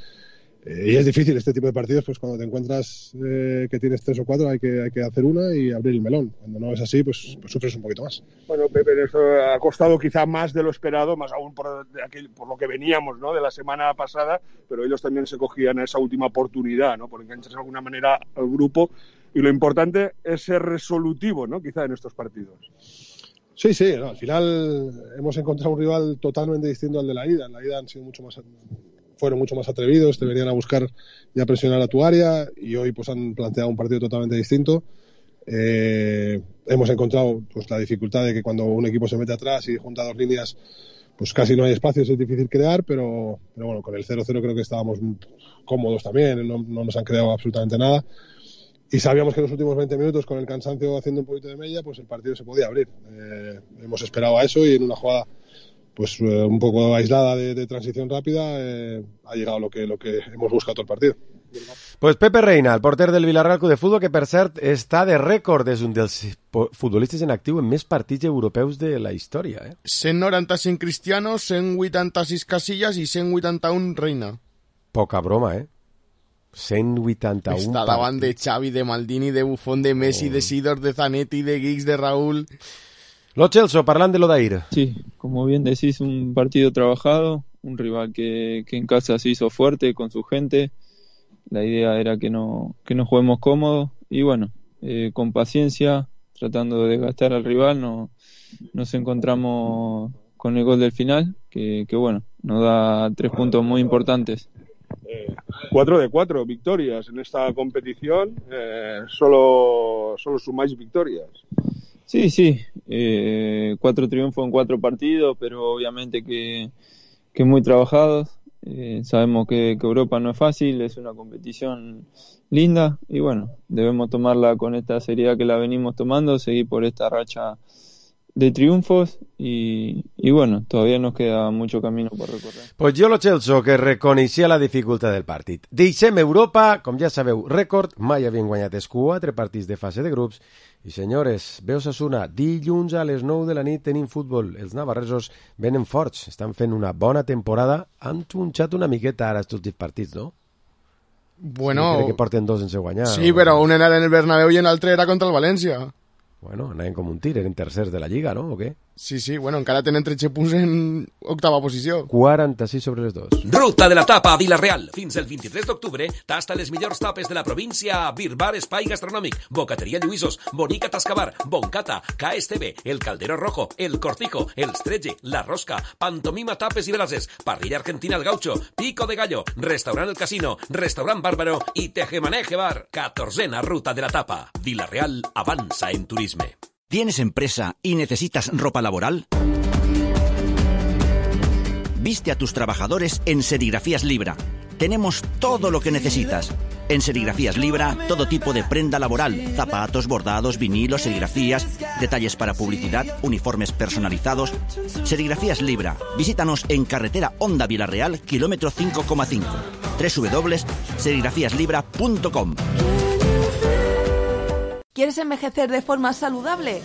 y es difícil este tipo de partidos, pues cuando te encuentras que tienes 3 o 4 hay que hacer una y abrir el melón. Cuando no es así, pues sufres un poquito más. Bueno, Pepe, eso ha costado quizá más de lo esperado, más aún por lo que veníamos, ¿no?, de la semana pasada, pero ellos también se cogían esa última oportunidad, ¿no?, por engancharse de alguna manera al grupo, y lo importante es ser resolutivo, ¿no?, quizá en estos partidos. Sí, no, al final hemos encontrado un rival totalmente distinto al de la ida. En la ida fueron mucho más atrevidos, te venían a buscar y a presionar a tu área, y hoy pues han planteado un partido totalmente distinto. Hemos encontrado pues la dificultad de que cuando un equipo se mete atrás y junta dos líneas, pues casi no hay espacios, es difícil crear, pero bueno, con el 0-0 creo que estábamos cómodos también, no nos han creado absolutamente nada. Y sabíamos que en los últimos 20 minutos, con el cansancio haciendo un poquito de mella, pues el partido se podía abrir. Hemos esperado a eso y en una jugada pues un poco aislada de transición rápida ha llegado lo que hemos buscado todo el partido. Pues Pepe Reina, el porter del Villarreal Club de Futbol, que per cert està de rècord, és un dels futbolistes en actiu en més partits europeus de la història. 195 Cristiano, 186 Casillas i 181 Reina. Poca broma, 181 Està davant de Xavi, de Maldini, de Buffon, de Messi, de Sidor, de Zanetti, de Giggs, de Raúl. Lo Celso, parlant de l'Odair. Sí, como bien decís, un partido trabajado, un rival que en casa se hizo fuerte con su gente. La idea era que no juguemos cómodos y bueno, con paciencia, tratando de desgastar al rival, nos encontramos con el gol del final, que bueno, nos da 3 puntos muy importantes. 4 de 4 victorias en esta competición, solo sumáis victorias. Sí, 4 triunfos en 4 partidos, pero obviamente que muy trabajados. Sabemos que Europa no es fácil, es una competición linda y bueno, debemos tomarla con esta seriedad que la venimos tomando, seguir por esta racha de triunfos y bueno, todavía nos queda mucho camino por recorrer. Pues jo lo Celso, que reconeixia la dificultat del partit. Deixem Europa, com ja sabeu, rècord, mai havien guanyat els 4 partits de fase de grups. I senyores, ve Osasuna, dilluns a les 9 de la nit tenim futbol. Els navarresos venen forts, estan fent una bona temporada, han tronxat una miqueta ara estos 10 partits, no? Bueno... Sí, crec que porten 2 sense guanyar. Sí, però un era en el Bernabéu i l'altre era contra el València. Bueno, anaven com un tir, eren tercers de la Lliga, no? O què? Sí, bueno, encara tenen 13 punts en octava posició. 46 sobre les 2. Ruta de la tapa a Vila-real. Fins el 23 d'octubre tasta les millors tapes de la província a Bir Bar Espai Gastronòmic, Bocateria Lluïsos, Bonica Tascabar, Boncata, KSTB, El Caldero Rojo, El Cortijo, El Stretge, La Rosca, Pantomima Tapes i Brases, Parrilla Argentina El Gaucho, Pico de Gallo, Restaurant El Casino, Restaurant Bárbaro i Tejemaneje Bar. 14a Ruta de la tapa. Vila-real avanza en turisme. ¿Tienes empresa y necesitas ropa laboral? Viste a tus trabajadores en Serigrafías Libra. Tenemos todo lo que necesitas. En Serigrafías Libra, todo tipo de prenda laboral, zapatos, bordados, vinilos, serigrafías, detalles para publicidad, uniformes personalizados. Serigrafías Libra. Visítanos en carretera Honda Vila-real, kilómetro 5,5. www.serigrafíaslibra.com. ¿Quieres envejecer de forma saludable?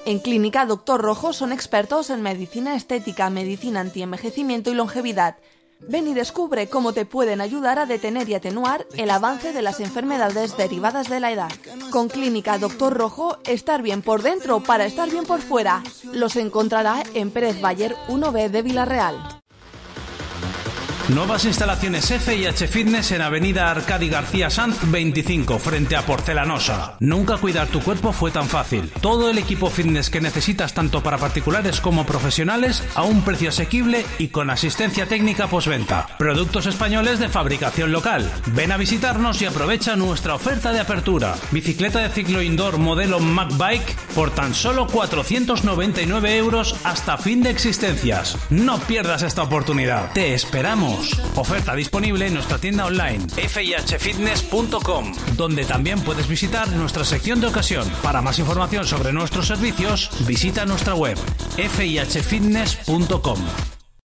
En Clínica Doctor Rojo son expertos en medicina estética, medicina antienvejecimiento y longevidad. Ven y descubre cómo te pueden ayudar a detener y atenuar el avance de las enfermedades derivadas de la edad. Con Clínica Doctor Rojo, estar bien por dentro para estar bien por fuera. Los encontrará en Pérez Bayer 1B de Vila-real. Nuevas instalaciones F&H Fitness en Avenida Arcadi García Sanz 25, frente a Porcelanosa. Nunca cuidar tu cuerpo fue tan fácil. Todo el equipo fitness que necesitas tanto para particulares como profesionales a un precio asequible y con asistencia técnica postventa. Productos españoles de fabricación local. Ven a visitarnos y aprovecha nuestra oferta de apertura. Bicicleta de ciclo indoor modelo MacBike por tan solo 499 € hasta fin de existencias. No pierdas esta oportunidad. Te esperamos. Oferta disponible en nuestra tienda online fihfitness.com, donde también puedes visitar nuestra sección de ocasión. Para más información sobre nuestros servicios, visita nuestra web fihfitness.com.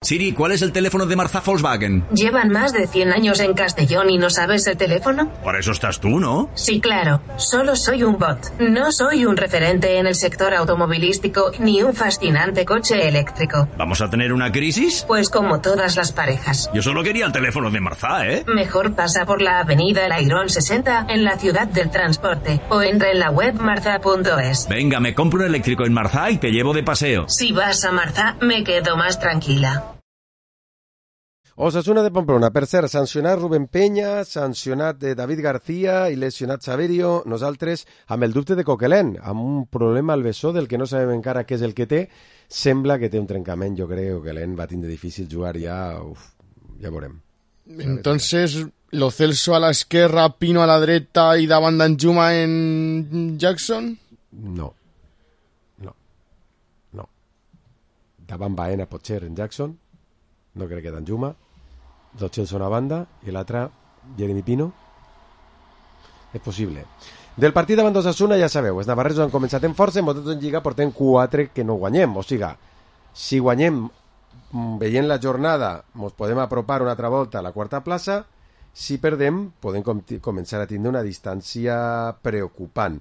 Siri, ¿cuál es el teléfono de Marzá Volkswagen? ¿Llevan más de 100 años en Castellón y no sabes el teléfono? Para eso estás tú, ¿no? Sí, claro. Solo soy un bot. No soy un referente en el sector automovilístico ni un fascinante coche eléctrico. ¿Vamos a tener una crisis? Pues como todas las parejas. Yo solo quería el teléfono de Marzá, ¿eh? Mejor pasa por la avenida El Airón 60 en la ciudad del transporte o entra en la web marza.es. Venga, me compro un eléctrico en Marzá y te llevo de paseo. Si vas a Marzá, me quedo más tranquila. Osasuna de Pamplona, per cert, sancionat Rubén Peña, sancionat David García i lesionat Saverio, nosaltres amb el dubte de Coquelin, amb un problema al bessó del que no sabem encara què és el que té, sembla que té un trencament, jo crec que Coquelin va tindre difícil jugar ja, ja veurem. Entonces, Lo Celso a la esquerra, Pino a la dreta i davant d'Anjuma en Jackson? No. Davant Baena potser en Jackson, no crec que d'Anjuma. Lo Celso a una banda i l'altra Jeremy Pino. És possible. Del partit davant d'Osasuna ja sabeu, els navarresos han començat en força, en en Lliga portem 4 que no guanyem, o sigui, si guanyem veient la jornada ens podem apropar una altra volta a la quarta plaça, si perdem podem començar a tindre una distància preocupant.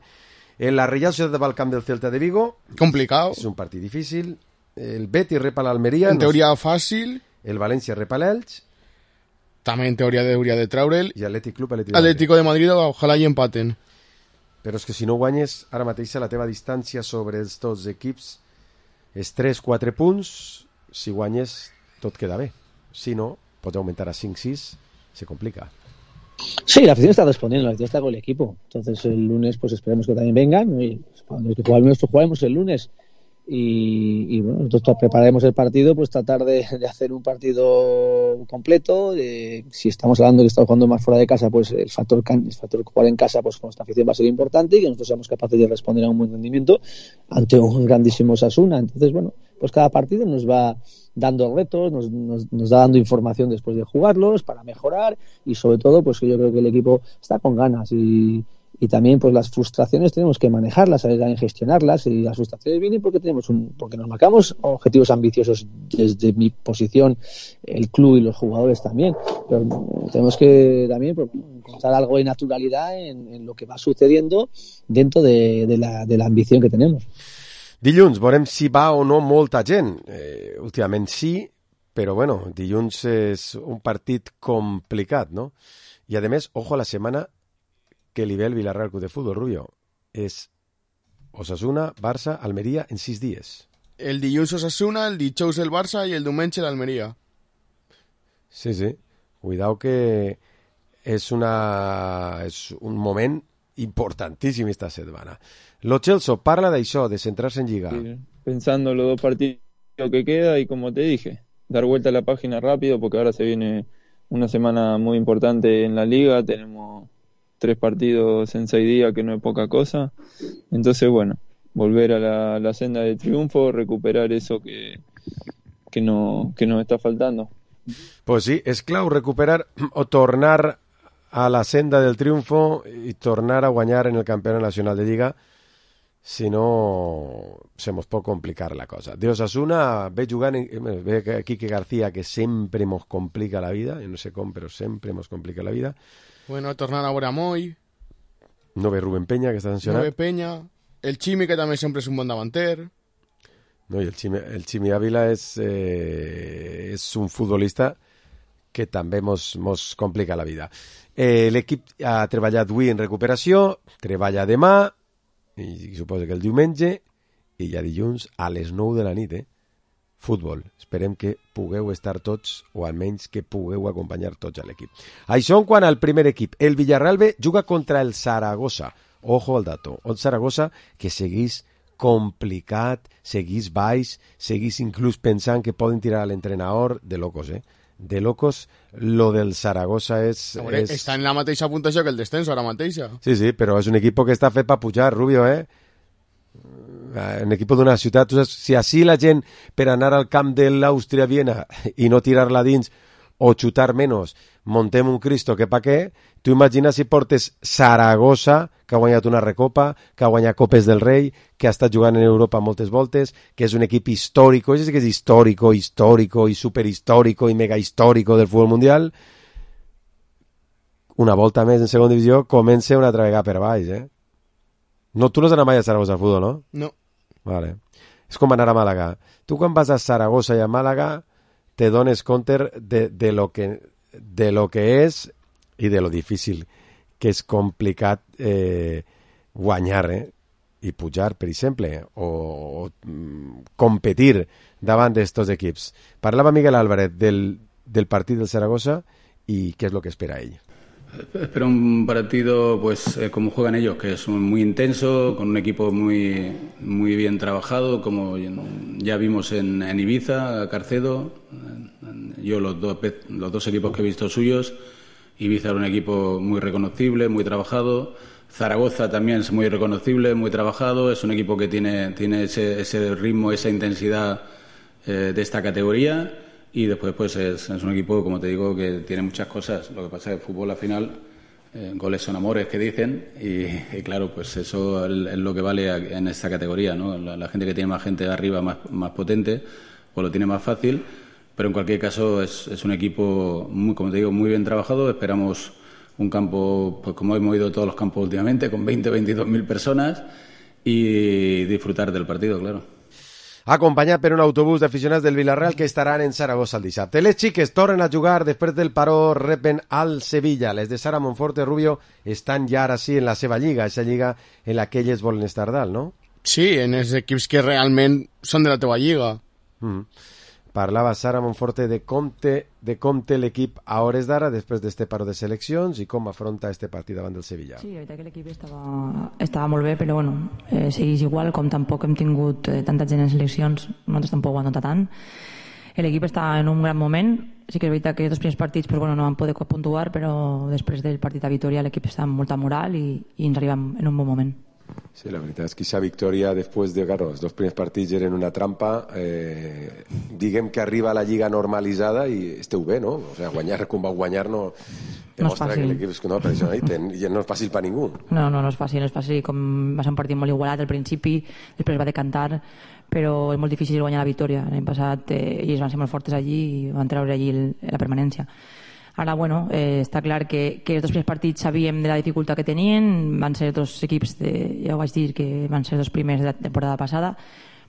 La Reial Societat va al camp del Celta de Vigo, complicado, és un partit difícil. El Betis repa l'Almeria, en teoria fàcil. El València repa l'Elx, també en teoria hauria de treure'l, i Atlético de Madrid, ojalà hi empaten. Però és que si no guanyes ara mateix la teva distància sobre els dos equips és 3-4 punts. Si guanyes tot queda bé, si no pots augmentar a 5-6, se complica. Sí, la afición está respondiendo, la afición está con el equipo, entonces el lunes pues esperemos que también vengan, ¿no? Y los que jugaremos el lunes. Y bueno, nosotros prepararemos el partido, pues tratar de hacer un partido completo. Si estamos hablando de que estamos jugando más fuera de casa, pues el factor jugar en casa, pues con esta afición va a ser importante y que nosotros seamos capaces de responder a un buen rendimiento ante un grandísimo Osasuna. Entonces, bueno, pues cada partido nos va dando retos, nos da dando información después de jugarlos para mejorar y sobre todo, pues que yo creo que el equipo está con ganas y y también pues las frustraciones tenemos que manejarlas, saber también gestionarlas, y las frustraciones vienen porque porque nos marcamos objetivos ambiciosos desde mi posición, el club y los jugadores también, pero tenemos que también pues, encontrar algo de naturalidad en lo que va sucediendo dentro de la ambición que tenemos. Dilluns veurem si va o no molta gent. Últimament sí, però bueno, dilluns és un partit complicat, no? I a més, ojo a la setmana que li ve el Villarreal Club de Fútbol, Rubio. És Osasuna, Barça, Almeria en 6 dies. El dilluns Osasuna, el dijous el Barça i el diumenge l'Almeria. Sí, sí. Cuidao que és un moment importantíssim esta setmana. Lo Celso parla d'això, de centrar-se en Lliga. Sí, pensando en los 2 partidos que queda y como te dije, dar vuelta a la página rápido porque ahora se viene una semana muy importante en la Liga, tenemos 3 partidos en 6 días que no es poca cosa, entonces bueno, volver a la senda de triunfo, recuperar eso que nos está faltando. Pues sí, és clau recuperar o tornar a la senda del triunfo i tornar a guanyar en el Campionat Nacional de Lliga, si no se mos pot complicar la cosa. De Osasuna ve jugant, ve Quique García, que sempre mos complica la vida, no sé com, però sempre mos complica la vida. Bueno, tornar a veure Moy. No ve Rubén Peña, que està sancionat. No ve Peña. El Chimi, que també sempre és un bon davanter. No, i el Chimi Ávila és un futbolista que també mos complica la vida. L'equip ha treballat avui en recuperació, treballa demà, i suposo que el diumenge, i ja dilluns a les 9 de la nit, futbol. Esperem que pugueu estar tots, o almenys que pugueu acompanyar tots a l'equip. Això en quant al primer equip. El Villarreal B juga contra el Zaragoza. Ojo al dato. El Zaragoza, que seguís complicat, seguís baix, seguís inclús pensant que poden tirar a l'entrenador, de locos, de locos. Lo del Zaragoza està en la mateixa puntuació que el descenso ara mateixa. Sí, sí, però és un equip que està fet per pujar, Rubio, un equip d'una ciutat. Si així la gent, per anar al camp de l'Àustria-Viena i no tirar-la dins o xutar menys, montem un Cristo que pa què, tu imagina si portes Zaragoza, que ha guanyat una recopa, que ha guanyat Copes del Rei, que ha estat jugant en Europa moltes voltes, que és un equip històrico, és que és històrico i superhistòrico i mega històrico del futbol mundial. Una volta més en segona divisió, comença una altra vegada per baix, No, tu no has anat mai a Zaragoza al futbol, no? No. Vale. És com anar a Màlaga. Tu quan vas a Zaragoza i a Màlaga te dones compte de lo que és i de lo difícil que és complicat guanyar i pujar, per exemple, o competir davant d'estos equips. Parlava Miguel Álvarez del partit del Zaragoza i què és el que espera ell. Espero un partido pues como juegan ellos, que es muy intenso, con un equipo muy bien trabajado, como ya vimos en Ibiza, Carcedo. Yo los dos equipos que he visto suyos, Ibiza era un equipo muy reconocible, muy trabajado. Zaragoza también es muy reconocible, muy trabajado. Es un equipo que tiene ese ritmo, esa intensidad de esta categoría. Y después pues es un equipo, como te digo, que tiene muchas cosas. Lo que pasa es que el fútbol al final, goles son amores, que dicen, y claro, pues eso es lo que vale en esta categoría, ¿no? La gente que tiene más gente de arriba, más potente, pues lo tiene más fácil. Pero en cualquier caso es un equipo, como te digo, muy bien trabajado. Esperamos un campo, pues como hemos ido todos los campos últimamente, con 22.000 personas, y disfrutar del partido, claro. Acompanyat per un autobús d'aficionats del Villarreal que estaran en Saragossa el dissabte. Les xiques tornen a jugar després del paró, repen al Sevilla. Les de Sara Monforte, Rubio, estan ja ara sí en la seva lliga, aquesta lliga en la que elles volen estar dalt, no? Sí, en els equips que realment són de la teva lliga. Parlava Sara Monforte de com té l'equip a hores d'ara després d'este paró de seleccions i com afronta este partit davant del Sevilla. Sí, la veritat que l'equip estava molt bé, però bueno, segueix igual, com tampoc hem tingut tanta gent en seleccions, nosaltres tampoc ho hem notat tant. L'equip està en un gran moment, sí que és veritat que els dos primers partits pues, bueno, no van poder puntuar, però després del partit a Vitoria l'equip està amb molta moral i ens arribem en un bon moment. Sí, la veritat és que aquesta victòria després de, claro, els dos primers partits eren una trampa, diguem que arriba a la lliga normalitzada i esteu bé, no? O sigui, guanyar com va guanyar no Demostra que l'equip és no, per això no és fàcil per ningú. No és fàcil, com va ser un partit molt igualat al principi, després va decantar, però és molt difícil guanyar la victòria. L'any passat ells van ser molt fortes allí i van treure allí la permanència. Ara, està clar que els dos primers partits sabíem de la dificultat que tenien, van ser dos equips, ja ho vaig dir, que van ser els primers de la temporada passada.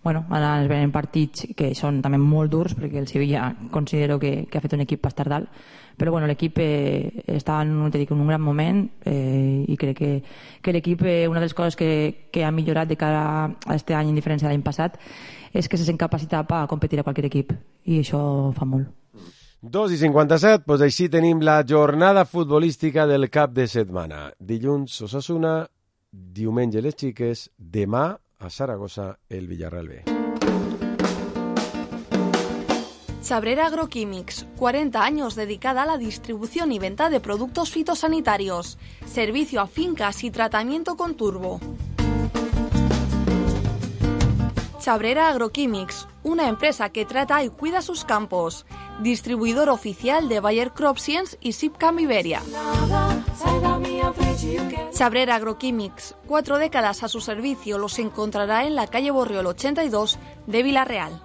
Ara ens venen partits que són també molt durs, perquè el Sevilla considero que ha fet un equip per estar dalt, però l'equip està en un gran moment i crec que l'equip, una de les coses que ha millorat de cara a aquest any en diferència de l'any passat, és que se sent capacitat per competir a qualsevol equip, i això fa molt. 2:57, doncs així tenim la jornada futbolística del cap de setmana. Dilluns Osasuna, diumenge les Xiques, demà a Saragossa el Villarreal B. Chabrera Agroquímics, 40 años dedicada a la distribución y venta de productos fitosanitarios, servicio a fincas y tratamiento con turbo. Chabrera Agroquímics, una empresa que trata y cuida sus campos, distribuidor oficial de Bayer CropScience y Sipcam Iberia. Chabrera Agroquímics, 4 décadas a su servicio, los encontrará en la calle Borriol 82 de Villarreal.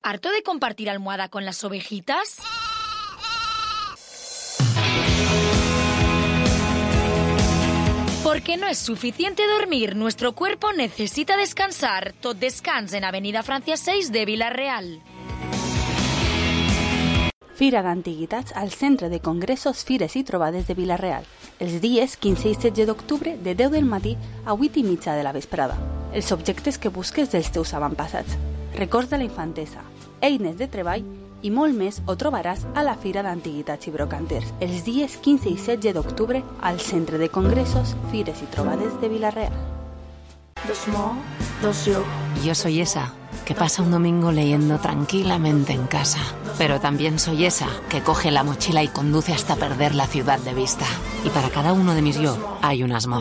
¿Harto de compartir almohada con las ovejitas? Porque no es suficiente dormir, nuestro cuerpo necesita descansar. Tot descans en Avenida Francia 6 de Villarreal. Fira d'Antiguitats al Centre de Congressos, Fires i Trobades de Villarreal, els dies 15 i 16 d'octubre de 10 del matí a 8:30 de la vesprada. Els objectes que busques dels teus avantpassats, records de la infantesa, eines de treball i molt més ho trobaràs a la Fira d'Antiguitats i Brocanters, els dies 15 i 16 d'octubre al Centre de Congressos, Fires i Trobades de Villarreal. Yo soy esa que pasa un domingo leyendo tranquilamente en casa, pero también soy esa que coge la mochila y conduce hasta perder la ciudad de vista. Y para cada uno de mis yo hay un Asmo.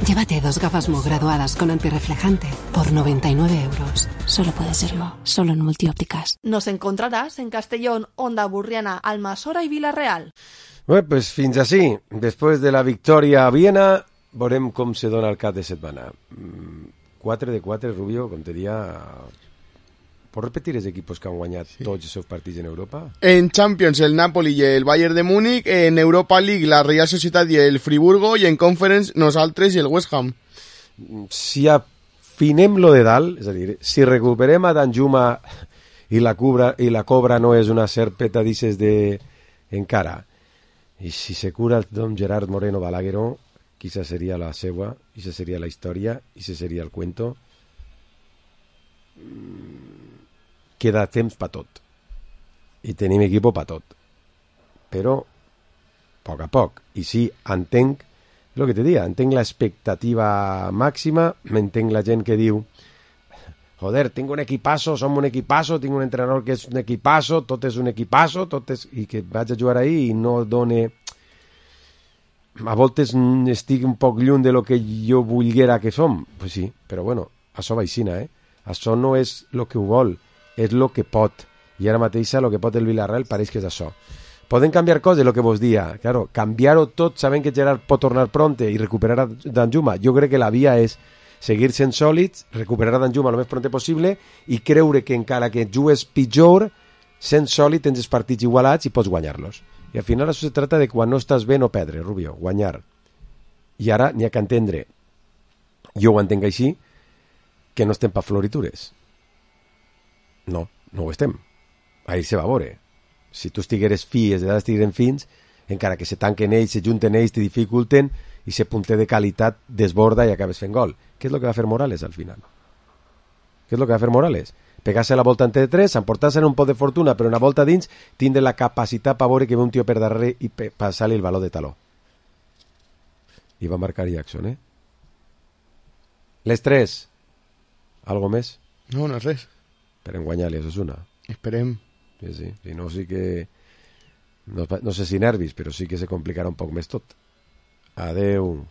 Llévate 2 gafas Mo graduadas con antirreflejante por 99 euros. Solo puede ser Mo, solo en Multiópticas. Nos encontrarás en Castellón, Onda Burriana, Almassora y Villarreal. Bé, pues fins així. Després de la victòria a Viena, veurem com se dona el cap de setmana. 4 de 4, Rubio, com te diria... ¿Puedes repetir los equipos que han ganado todos esos partidos en Europa? En Champions, el Napoli y el Bayern de Múnich. En Europa League, la Real Sociedad y el Friburgo. Y en Conference, nosaltres y el West Ham. Si afinem lo de dalt, és a dir, si recuperem a Danjuma i la cobra no és una serpeta dices de encara, i si se cura el don Gerard Moreno Balagueró, quizá seria la seua, quizá seria la història, quizá seria el cuento. Queda temps per tot i tenim equip per tot, però a poc, i sí, entenc el que te dic, entenc l'expectativa màxima, m'entenc la gent que diu joder, tinc un equipasso, som un equipasso, tinc un entrenador que és un equipasso, tot és un equipasso, i que vaig a jugar ahí i no done, a voltes estic un poc lluny de lo que jo volguera que som, pues sí, però bueno, això va aixina, això no és el que ho vol, és el que pot, i ara mateix el que pot el Villarreal pareix que és això. Poden canviar coses, el que vos dia, claro, canviar-ho tot sabent que Gerard pot tornar pronte i recuperar a Danjuma. Jo crec que la via és seguir sent sòlids, recuperar a Danjuma el més pronte possible i creure que encara que jugues pitjor, sent sòlid tens els partits igualats i pots guanyar-los. I al final això se trata de quan no estàs bé no perdre, Rubio, guanyar. I ara n'hi ha que entendre, jo ho entenc així, que no estem per floritures. No ho estem. Ahir se va veure. Si tu estigueres fi, els d'edat estigueren fins, encara que se tanquen ells, se junten ells, te dificulten, i se punter de qualitat desborda i acabes fent gol. Què és el que va fer Morales al final? Què és el que va fer Morales? Pegar-se la volta entre 3, emportar-se un pot de fortuna, però una volta dins, tindre la capacitat per veure que ve un tio per darrere i passar-li el valor de taló. I va marcar Jackson, Les 3. Algo més? No és res. Esperem guanyar-li a Osasuna. Esperem. Sí. Si no, sí que... No sé si nervis, però sí que se complicarà un poc més tot. Adeu.